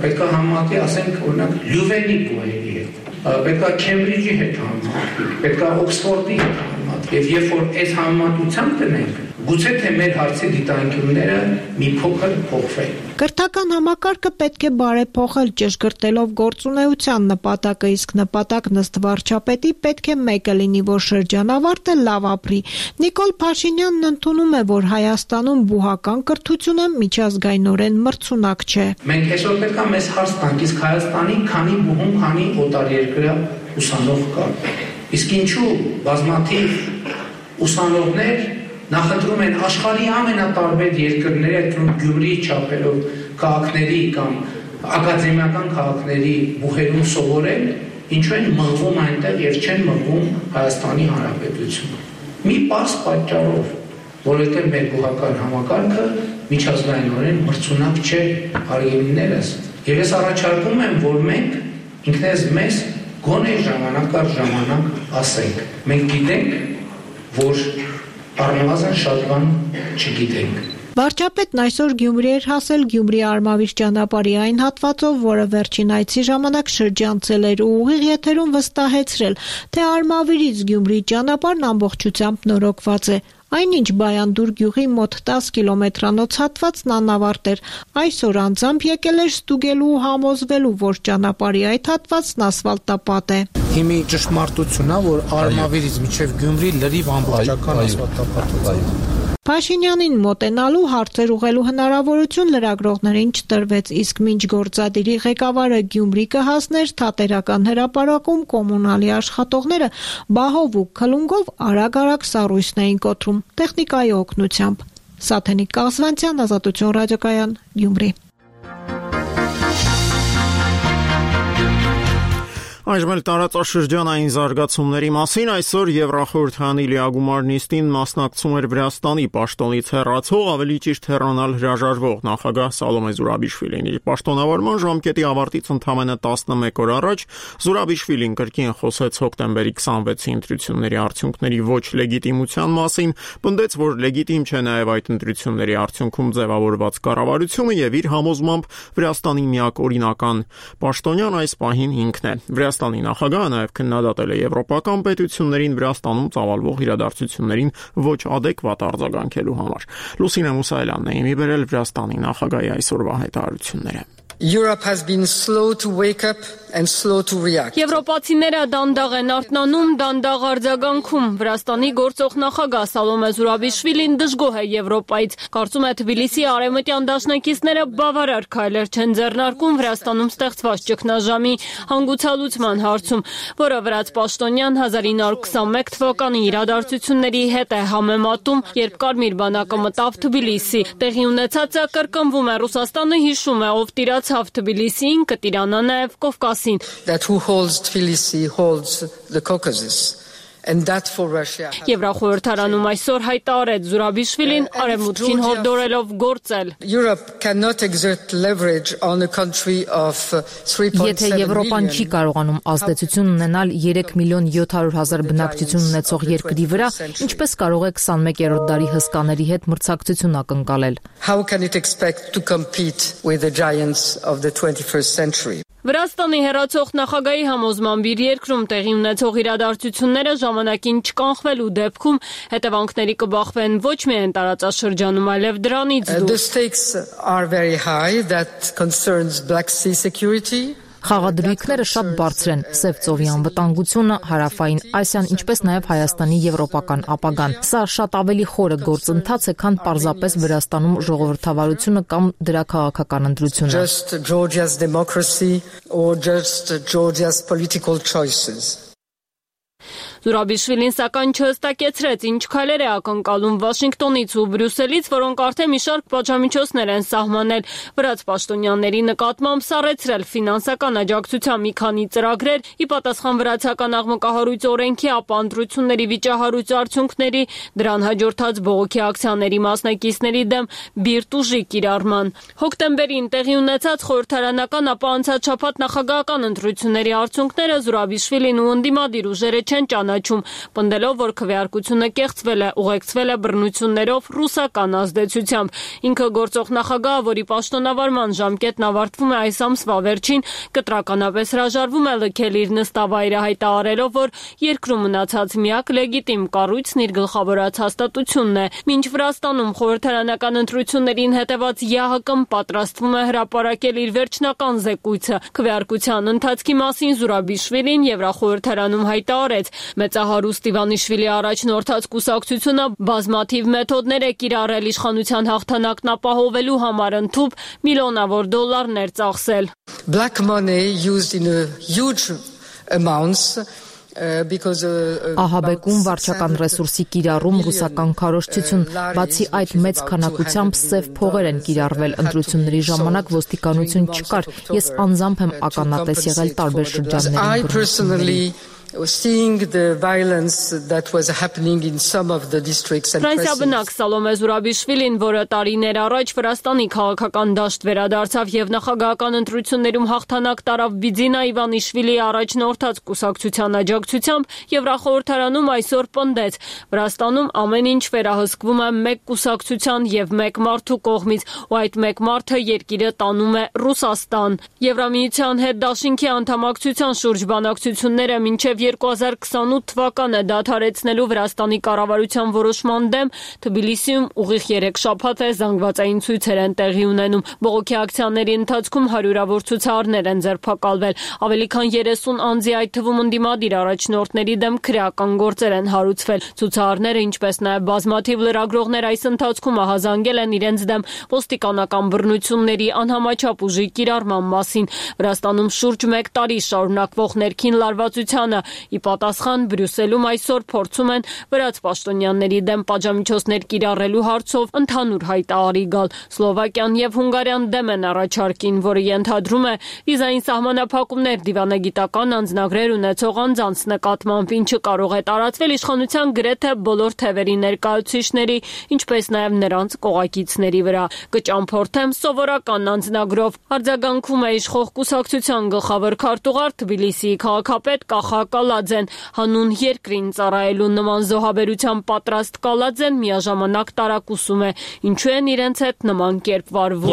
պետք է համատի, ասենք օրինակ Լյուվենի բուհերի հետ, պետք է Քեմբրիջի հետ համատի, պետք է Օքսֆորդի հետ համատի։ Եվ երբ որ այս համեմատությամբ տնենք, գուցե թե մեր հարցի դիտանկյունները մի փոքր փոխվեն։ Կրթական համակարգը պետք է բարեփոխել ճշգրտելով գործունեության նպատակը, իսկ նպատակն ըստ վարչապետի պետք է մեկը լինի, որ շրջանավարտը լավ ապրի։ Նիկոլ Փաշինյանն ընդունում է, որ Հայաստանում բուհական կրթությունը միջազգայինորեն մրցունակ չէ։ Մենք այսօր պետք է մեզ հարց տանք, իսկ Հայաստանի քանի բուհում, քանի օտարերկրյա ուսանող կա։ Իսկ ինչու բազմաթիվ ուսանողներ նախընտրում են աշխարհի ամենատարբեր երկրների, այդ Գյումրի չափերով քաղաքների կամ ակադեմիական քաղաքների բուհերում սովորել ինչու են մղվում այնտեղ եւ չեն մղվում Հայաստանի Հանրապետություն։ Մի պարզ պատճառով, որովհետեւ մեր գյուղական համակարգը միջազգայինորեն մրցունակ չէ հարգելիներս։ Եվ ես առաջարկում եմ, որ մենք ինքներս մեզ գոնե ժամանակ առ ժամանակ ասենք։ Մենք գիտենք, որ առնվազն շատ բան չգիտենք։ Վարչապետն այսօր Գյումրի էր հասել Գյումրի-Արմավիր ճանապարհի այն հատվածով, որը վերջին այցի ժամանակ շրջանցել էր ու ուղիղ եթերում վստահեցրել, թե Արմավիրից Գյումրի ճանապարհն ամբողջությամբ նորոգված է։ Այնինչ Բայանդուր գյուղի մոտ տասը կիլոմետրանոց հատվածն անավարտ էր։ Այսօր անձամբ եկել էր ստուգելու ու համոզվելու, որ ճանապարհի այդ հատվածն ասֆալտապատ է։ Հիմի ճշմարտությունն է, որ Արմավիրից մինչև Գյումրի լրիվ ամբողջական ասֆալտապատ է։ Փաշինյանին մոտենալու հարցեր ուղղելու հնարավորություն լրագրողներին չտրվեց, իսկ մինչ գործադիրի ղեկավարը Գյումրի կհասներ թատերական հրապարակում կոմունալի աշխատողները բահով ու քլունգով արագ-արագ սառույցն էին կոտրում տեխնիկայի օգնությամբ։ Սաթենիկ Կաղզվանցյան, Ազատություն ռադիոկայան, Գյումրի։ Այժմ էլ տարածաշրջանային զարգացումների մասին այսօր Եվրախորհրդանի լիագումար նիստին մասնակցում էր Վրաստանի պաշտոնից հեռացող, ավելի ճիշտ հեռանալ հրաժարվող նախագահ Սալոմե Զուրաբիշվիլին։ Իր պաշտոնավարման ժամկետի ավարտից ընդամենը տասնմեկ օր առաջ Զուրաբիշվիլին կրկին խոսեց հոկտեմբերի քսանվեցի ընտրությունների արդյունքների ոչ լեգիտիմության մասին, պնդեց, որ լեգիտիմ չէ նաև այդ ընտրությունների արդյունքում ձևավորված կառավարությունը եւ իր համոզմամբ Վրաստանի միակ օրինական պաշտոնյան այս պահին ինքն է։ Վրաստանի նախագահը նաև քննադատել է եվրոպական պետություններին Վրաստանում ծավալվող իրադարձություններին ոչ ադեկվատ արձագանքելու համար։ Լուսինե Մուսայելյանն է իմի բերել Վրաստանի նախագահի այսօրվա հայտարարությունները։ Europe has been slow to wake up and slow to react. Եվրոպացիները դանդաղ են արթնանում, դանդաղ արձագանքում։ Վրաստանի գործող նախագահ Սալոմե Զուրաբիշվիլին դժգոհ է Եվրոպայից։ Կարծում է Թբիլիսի արևմտյան դաշնակիցները բավարար քայլեր չեն ձեռնարկում Վրաստանում ստեղծված ճգնաժամի հանգուցալուծման հարցում, որը վրաց պաշտոնյան հազար ինը հարյուր քսանմեկ թվականի իրադարձությունների հետ է համեմատում, երբ Կարմիր բանակը մտավ Թբիլիսի։ Տեղի ունեցածը կրկնվում է, Ռուսաստանը հիշում է, ով տիրացավ Թբիլիսին, կտիրանա նաև Կովկասին։ That who holds Tbilisi holds the Caucasus. And that for Russia. Եվրախորհրդարանում այսօր հայտարարեց Զուրաբիշվիլին արևմուտքին հորդորելով գործել։ Europe cannot exert leverage on a country of three point seven Եթե Եվրոպան չի կարողանում ազդեցություն ունենալ երեք միլիոն յոթ հարյուր հազար բնակչություն ունեցող երկրի վրա, ինչպես կարող է քսանմեկերորդ դարի հսկաների հետ մրցակցություն ակնկալել։ How can it expect to compete with the giants of the twenty-first century? Վրաստանի հեռացող նախագահի համոզմամբ իր երկրում տեղի ունեցող իրադարձությունները ժամանակին չկանխվելու դեպքում հետևանքների կբախվեն ոչ միայն տարածաշրջանում, այլև դրանից դուրս. The stakes are very high that concerns Black Sea security. Խաղադրույքները շատ բարձր են՝ Սև ծովի անվտանգությունը, Հարավային Ասիան, ինչպես նաև Հայաստանի եվրոպական ապագան։ Սա շատ ավելի խորը գործընթաց է, քան պարզապես Վրաստանում ժողովրդավարությունը կամ դրա քաղաքական ընտրությունը։ Just Georgia's democracy or just Georgia's political choices. Զուրաբիշվիլին սակայն չհստակեցրեց, ինչ քայլեր է ակնկալում Վաշինգտոնից ու Բրյուսելից, որոնք արդեն մի շարք պատժամիջոցներ են սահմանել վրաց պաշտոնյաների նկատմամբ, սառեցրել ֆինանսական աջակցության մի քանի ծրագրեր, ի պատասխան վրացական աղմկահարույց օրենքի, ապա ընտրությունների վիճահարույց արդյունքների, դրան հաջորդած բողոքի ակցիաների մասնակիցների դեմ բիրտ ուժի կիրառման։ Հոկտեմբերին տեղի ունեցած խորհրդարանական, ապա անցած շաբաթ նախագահական ընտրությունների արդյունքները Զուրաբիշվիլին ու ընդդիմադիր ուժերը չեն ճանաչում, պնդելով, որ քվեարկությունը կեղծվել է, ուղեկցվել է բռնություններով, ռուսական ազդեցությամբ։ Ինքը գործող նախագահը, որի պաշտոնավարման ժամկետն ավարտվում է այս ամսվա վերջին, կտրականապես հրաժարվում է լքել իր նստավայրը, հայտարարելով, որ երկրում մնացած միակ լեգիտիմ կառույցն իր գլխավորած հաստատությունն է։ Մինչ Վրաստանում խորհրդարանական ընտրություններին հետևած ԵԱՀԿ-ն պատրաստվում է հրապարակել իր վերջնական զեկույցը։ Քվեարկության ընթացքի մասին Զուրաբիշվիլին Եվրախորհրդարանում հայտարարեց. Մեծահարուստ Իվանիշվիլի առաջնորդած կուսակցությունը բազմաթիվ մեթոդներ է կիրառել իշխանության հաղթանակն ապահովելու համար, ընդհուպ միլիոնավոր դոլարներ ծախսել։ Black money used in a huge amounts Ահաբեկում, վարչական ռեսուրսի կիրառում, ռուսական քարոզչություն, բացի այդ մեծ քանակությամբ սև փողեր են կիրառվել ընտրությունների ժամանակ ոստիկանություն չկար։ Ես անձամբ եմ ականատես եղել տարբեր շրջաններում։ Seeing the violence that was happening in some of the districts and Ֆրանսիաբնակ Սալոմե Զուրաբիշվիլին, որը տարիներ առաջ Վրաստանի քաղաքական դաշտ վերադարձավ եւ նախագահական ընտրություններում հաղթանակ տարավ Բիձինա Իվանիշվիլիի առաջնորդած կուսակցության աջակցությամբ, Եվրախորհրդարանում այսօր պնդեց. Վրաստանում ամեն ինչ վերահսկվում է մեկ կուսակցության եւ մեկ մարդու կողմից, ու այդ մեկ մարդը երկիրը տանում է Ռուսաստան։ Եվրամիության հետ դաշինքի անդամակցության շուրջ բանակցությունները մինչեւ երկու հազար քսանութ թվականը դադարեցնելու Վրաստանի կառավարության որոշման դեմ Թբիլիսիում ուղիղ երեք շաբաթ է զանգվածային ցույցեր են տեղի ունենում։ Բողոքի ակցիաների ընթացքում հարյուրավոր ցուցարարներ են ձերբակալվել։ Ավելի քան երեսուն անձի, այդ թվում ընդդիմադիր առաջնորդների դեմ քրեական գործեր են հարուցվել։ Ցուցարարները, ինչպես նաև բազմաթիվ լրագրողներ այս ընթացքում ահազանգել են իրենց դեմ ոստիկանական բռնությունների, անհամաչափ ուժի կիրառման մասին։ Վրաստանում շուրջ մեկ տարի շարունակվող ներքին լարվածությանը ի պատասխան Բրյուսելում այսօր փորձում են վրաց պաշտոնյաների դեմ պատժամիջոցներ կիրառելու հարցով ընդհանուր հայտարարի գալ։ Սլովակիան եւ Հունգարիան դեմ են առաջարկին, որը ենթադրում է վիզային սահմանափակումներ դիվանագիտական անձնագրեր ունեցող անձանց նկատմամբ, ինչը կարող է տարածվել իշխանության գրեթե բոլոր թևերի ներկայացուցիչների, ինչպես նաև նրանց կողակիցների վրա։ Կճամփորդեմ սովորական անձնագրով։ Արձագանքում է իշխող կուսակցության գլխավոր քարտուղար Թբիլիսիի քաղաքապետ Կախա Կալաձեն, հանուն երկրին ծառայելու նման զոհաբերության պատրաստ Կալաձեն միաժամանակ տարակուսում է, ինչու են իրենց հետ նման կերպ վարվում։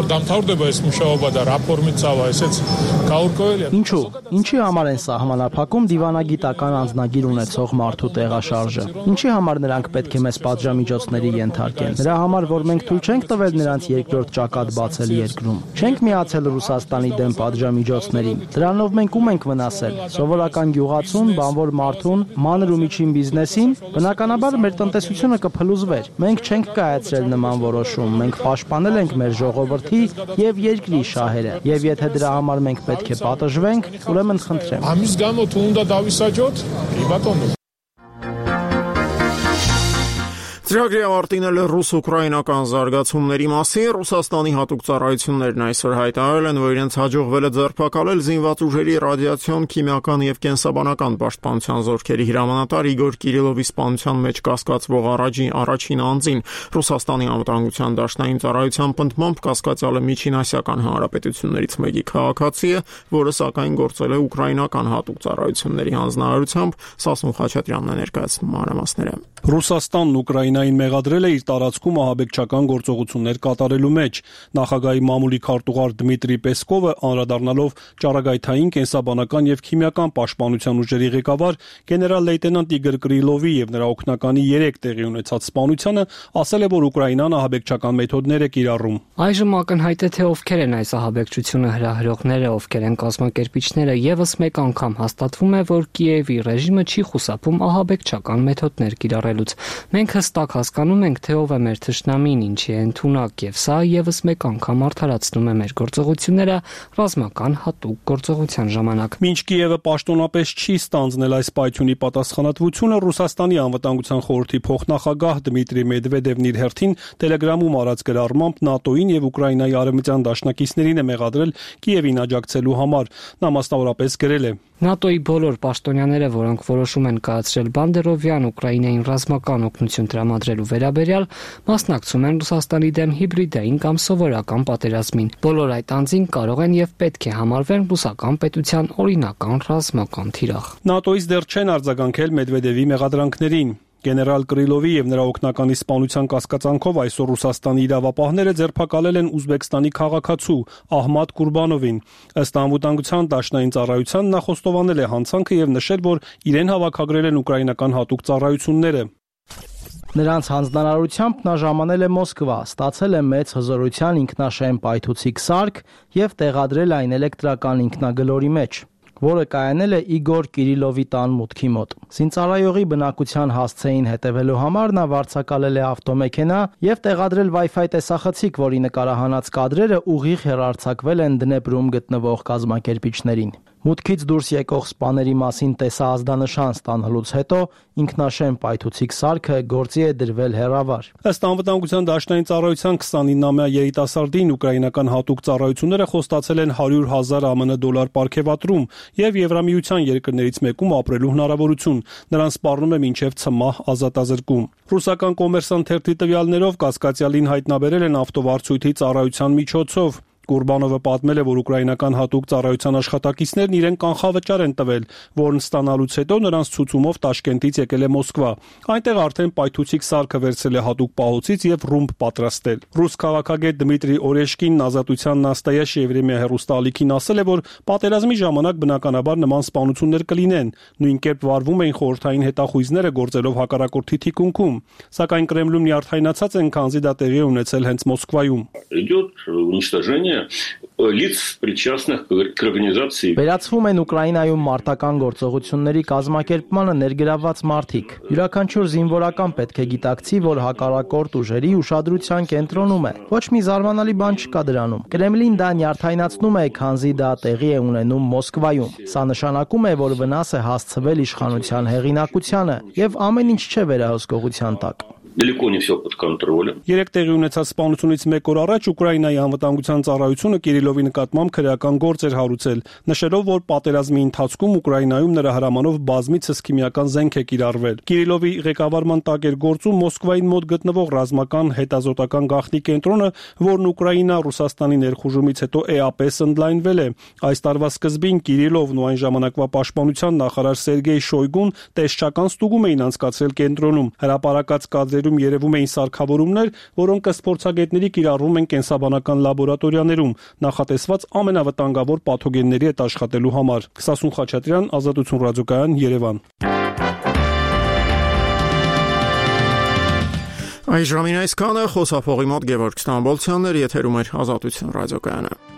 Ինչու՞, ինչի համար են սահմանափակում դիվանագիտական անձնագիր ունեցող մարդու տեղաշարժը։ Ինչի համար նրանք պետք է մեզ պատժամիջոցների ենթարկեն։ Նրա համար, որ մենք թույլ չենք տվել նրանց երկրորդ ճակատ բացել երկրում։ Չենք միացել Ռուսաստանի դեմ պատժամիջոցներին։ Դրանով մենք ում ենք վնասել։ Սովորական գյուղացուն, բանվոր մարդուն, մանր ու միջին բիզնեսին, բնականաբար մեր տնտեսությունը կփլուզվեր։ Մենք չենք կայացրել նման որոշում, մենք պաշտպանել ենք մեր ժողովրդի եւ երկրի շահերը։ Եվ եթե դրա համար մենք պետք է պատժվենք, ուրեմն խնդրեմ։ Ամիս գամո թունդա դավիսաջոտ, իբատոն Ծրագրի ավարտին էլ ռուս-ուկրաինական զարգացումների մասին Ռուսաստանի հատուկ ծառայություններն այսօր հայտարարել են, որ իրենց հաջողվել է ձերբակալել զինված ուժերի ռադիացիոն, քիմիական եւ կենսաբանական պաշտպանության զորքերի հրամանատար Իգոր Կիրիլովի սպանության մեջ կասկածվող առաջին առաջին անձին Ռուսաստանի անվտանգության դաշնային ծառայության պնդմամբ կասկածյալը Միջինասիական հանրապետություններից մեկի քաղաքացի է, որը սակայն գործել է ուկրաինական հատուկ ծառայությունների հանձնարարությամբ։ Սասուն Խաչատրյանն է ներկայացնում մանրամասները։ Ռուսաստանն Ուկրաինային մեղադրել է իր տարածքում ահաբեկչական գործողություններ կատարելու մեջ։ Նախագահի մամուլի քարտուղար Դմիտրի Պեսկովը անդրադառնալով ճառագայթային, կենսաբանական եւ քիմիական պաշտպանության ուժերի ղեկավար գեներալ-լեյտենանտ Իգոր Կիրիլովի եւ նրա օգնականի երեք տեղի ունեցած սպանությանը, ասել է, որ Ուկրաինան ահաբեկչական մեթոդներ է կիրառում։ Այժմ ակնհայտ է, թե ովքեր են այս ահաբեկչությունը հրահրողները, ովքեր են կազմակերպիչները, եւս մեկ անգամ հաստատվում է, որ Կիևի ռեժիմը չի խուսափում ահաբեկչական մեթոդներ կիրառելուց։ Մենք հստակ հասկանում ենք, թե ով է մեր թշնամին, ինչի է ընդունակ, եւ սա եւս մեկ անգամ արդարացնում է մեր գործողությունները ռազմական հատուկ գործողության ժամանակ։ Մինչ Կիևը պաշտոնապես չի ստանձնել այս պայթյունի պատասխանատվությունը, Ռուսաստանի անվտանգության խորհրդի փոխնախագահ Դմիտրի Մեդվեդևն իր հերթին Տելեգրամում արած գրառմամբ ՆԱՏՕ-ին եւ Ուկրաինայի արևմտյան դաշնակիցներին է մեղադրել Կիևին աջակցելու համար։ Նա մասնավորապես գրել է. ՆԱՏՕ-ի բոլոր պաշտոնյաները, որոնք որոշում են կայացրել Բանդերովյան Ուկրաինային ռազմական օգնություն տրամադրելու վերաբերյալ, մասնակցում են Ռուսաստանի դեմ հիբրիդային կամ սովորական պատերազմին։ Բոլոր այդ անձին կարող են եւ պետք է համարվեն ռուսական պետության օրինական ռազմական թիրախ։ ՆԱՏՕ-ից դեռ չեն արձագանքել Մեդվեդևի մեղադրանքներին։ Գեներալ Կրիլովի եւ նրա օգնականի սպանության կասկածանքով այսօր Ռուսաստանի իրավապահները ձերբակալել են Ուզբեկստանի քաղաքացու Ահմադ Կուրբանովին։ Ըստ անվտանգության դաշնային ծառայության նա խոստովանել է հանցանքը եւ նշել, որ իրեն հավաքագրել են ուկրաինական հատուկ ծառայությունները։ Նրանց հանձնարարությամբ նա ժամանել է Մոսկվա, ստացել է մեծ հզորության ինքնաշեն պայթուցիկ սարք եւ տեղադրել այն էլեկտրական ինքնագլորի մեջ, որը կայանել է Իգոր Կիրիլովի տան մուտքի մոտ։ Զինծառայողի բնակության հասցեին հետևելու համար նա վարձակալել է ավտոմեքենա եւ տեղադրել Wi-Fi տեսախցիկ, որի նկարահանած կադրերը ուղիղ հեռարձակվել են Դնեպրում գտնվող կազմակերպիչներին։ Մուտքից դուրս եկող սպաների մասին տեսահազդանշան ստանալուց հետո ինքնաշեն պայթուցիկ սարքը գործի է դրվել հեռավար։ Ըստ անվտանգության դաշնային ծառայության քսանինամյա երիտասարդին ուկրաինական հատուկ ծառայությունները խոստացել են հարյուր հազար ԱՄՆ դոլար պարգևատրում եւ Եվրամիության երկրներից մեկում ապրելու հնարավորություն։ Նրան սպառնում է մինչեւ ցմահ ազատազրկում։ Ռուսական Կոմերսանտ թերթի տվյալներով կասկածյալին հայտնաբերել են ավտովարձույթի ծառայության միջոցով։ Կուրբանովը պատմել է, որ ուկրաինական հատուկ ծառայության աշխատակիցներն իրեն կանխավճար են տվել, որն ստանալուց հետո նրանց ցուցումով Տաշկենտից եկել է Մոսկվա։ Այնտեղ արդեն պայթուցիկ սարքը վերցել է հատուկ պահոցից եւ ռումբ պատրաստել։ Ռուս քաղաքագետ Դմիտրի Օրեշկինն Ազատության Նաստայաշ Եվրեմիա հեռուստաալիքին ասել է, որ պատերազմի ժամանակ բնականաբար նման սպանություններ կլինեն։ Նույն կերպ վարվում էին խորհրդային հետախույզները գործելով հակառակորդի թիկունքում, սակայն Կրեմլում նյարդայնացած են, քանզի դա տեղի է ունեցել հենց Մոսկվայում։ лиц, причастных к организации. Վերացվում են Ուկրաինայում մարտական գործողությունների կազմակերպմանը ներգրավված մարդիկ։ Յուրաքանչյուր զինվորական պետք է գիտակցի, որ հակառակորդ ուժերի ուշադրության կենտրոնում է։ Ոչ մի զարմանալի բան չկա դրանում։ Կրեմլին դա նյարդայնացնում է, քանզի դա տեղի է ունենում Մոսկվայում։ Սա նշանակում է, որ վնաս է հասցվել իշխանության հեղինակությանը, եւ ամեն ինչ չէ վերահսկողության տակ։ Далеко не все под контролем. Երեք տեղի ունեցած սպանությունից մեկ օր առաջ Ուկրաինայի անվտանգության ծառայությունը Կիրիլովի նկատմամբ քրեական գործ էր հարուցել, նշելով, որ պատերազմի ընթացքում Ուկրաինայում նրա հրամանով բազմիցս քիմիական զենք է կիրառվել։ Կիրիլովի ղեկավարման տակ էր գործում Մոսկվային մոտ գտնվող ռազմական հետազոտական գաղտնի կենտրոնը, որն Ուկրաինա-Ռուսաստանի ներխուժումից հետո էապես ընդլայնվել է։ Այս տարվա սկզբին Կիրիլովն ու այն ժամանակվա պաշտպանության նախարար Սերգեյ Շոյգուն տեսչական ստուգում էին անցկացրել կենտրոնում։ Հրապարակած կադրերում երևում էին սարքավորումներ, որոնք ըստ փորձագետների կիրառվում են կենսաբանական լաբորատորիաներում, նախատեսված ամենավտանգավոր պաթոգենների հետ աշխատելու համար։ Քսասուն Խաչատրյան, Ազատություն ռադիոկայան, Երևան։ Այժմին այսքանը, խոսափողի մոտ Գևորգ Ստամբոլցյանն էր, եթերում էր Ազատություն ռադիոկայանը։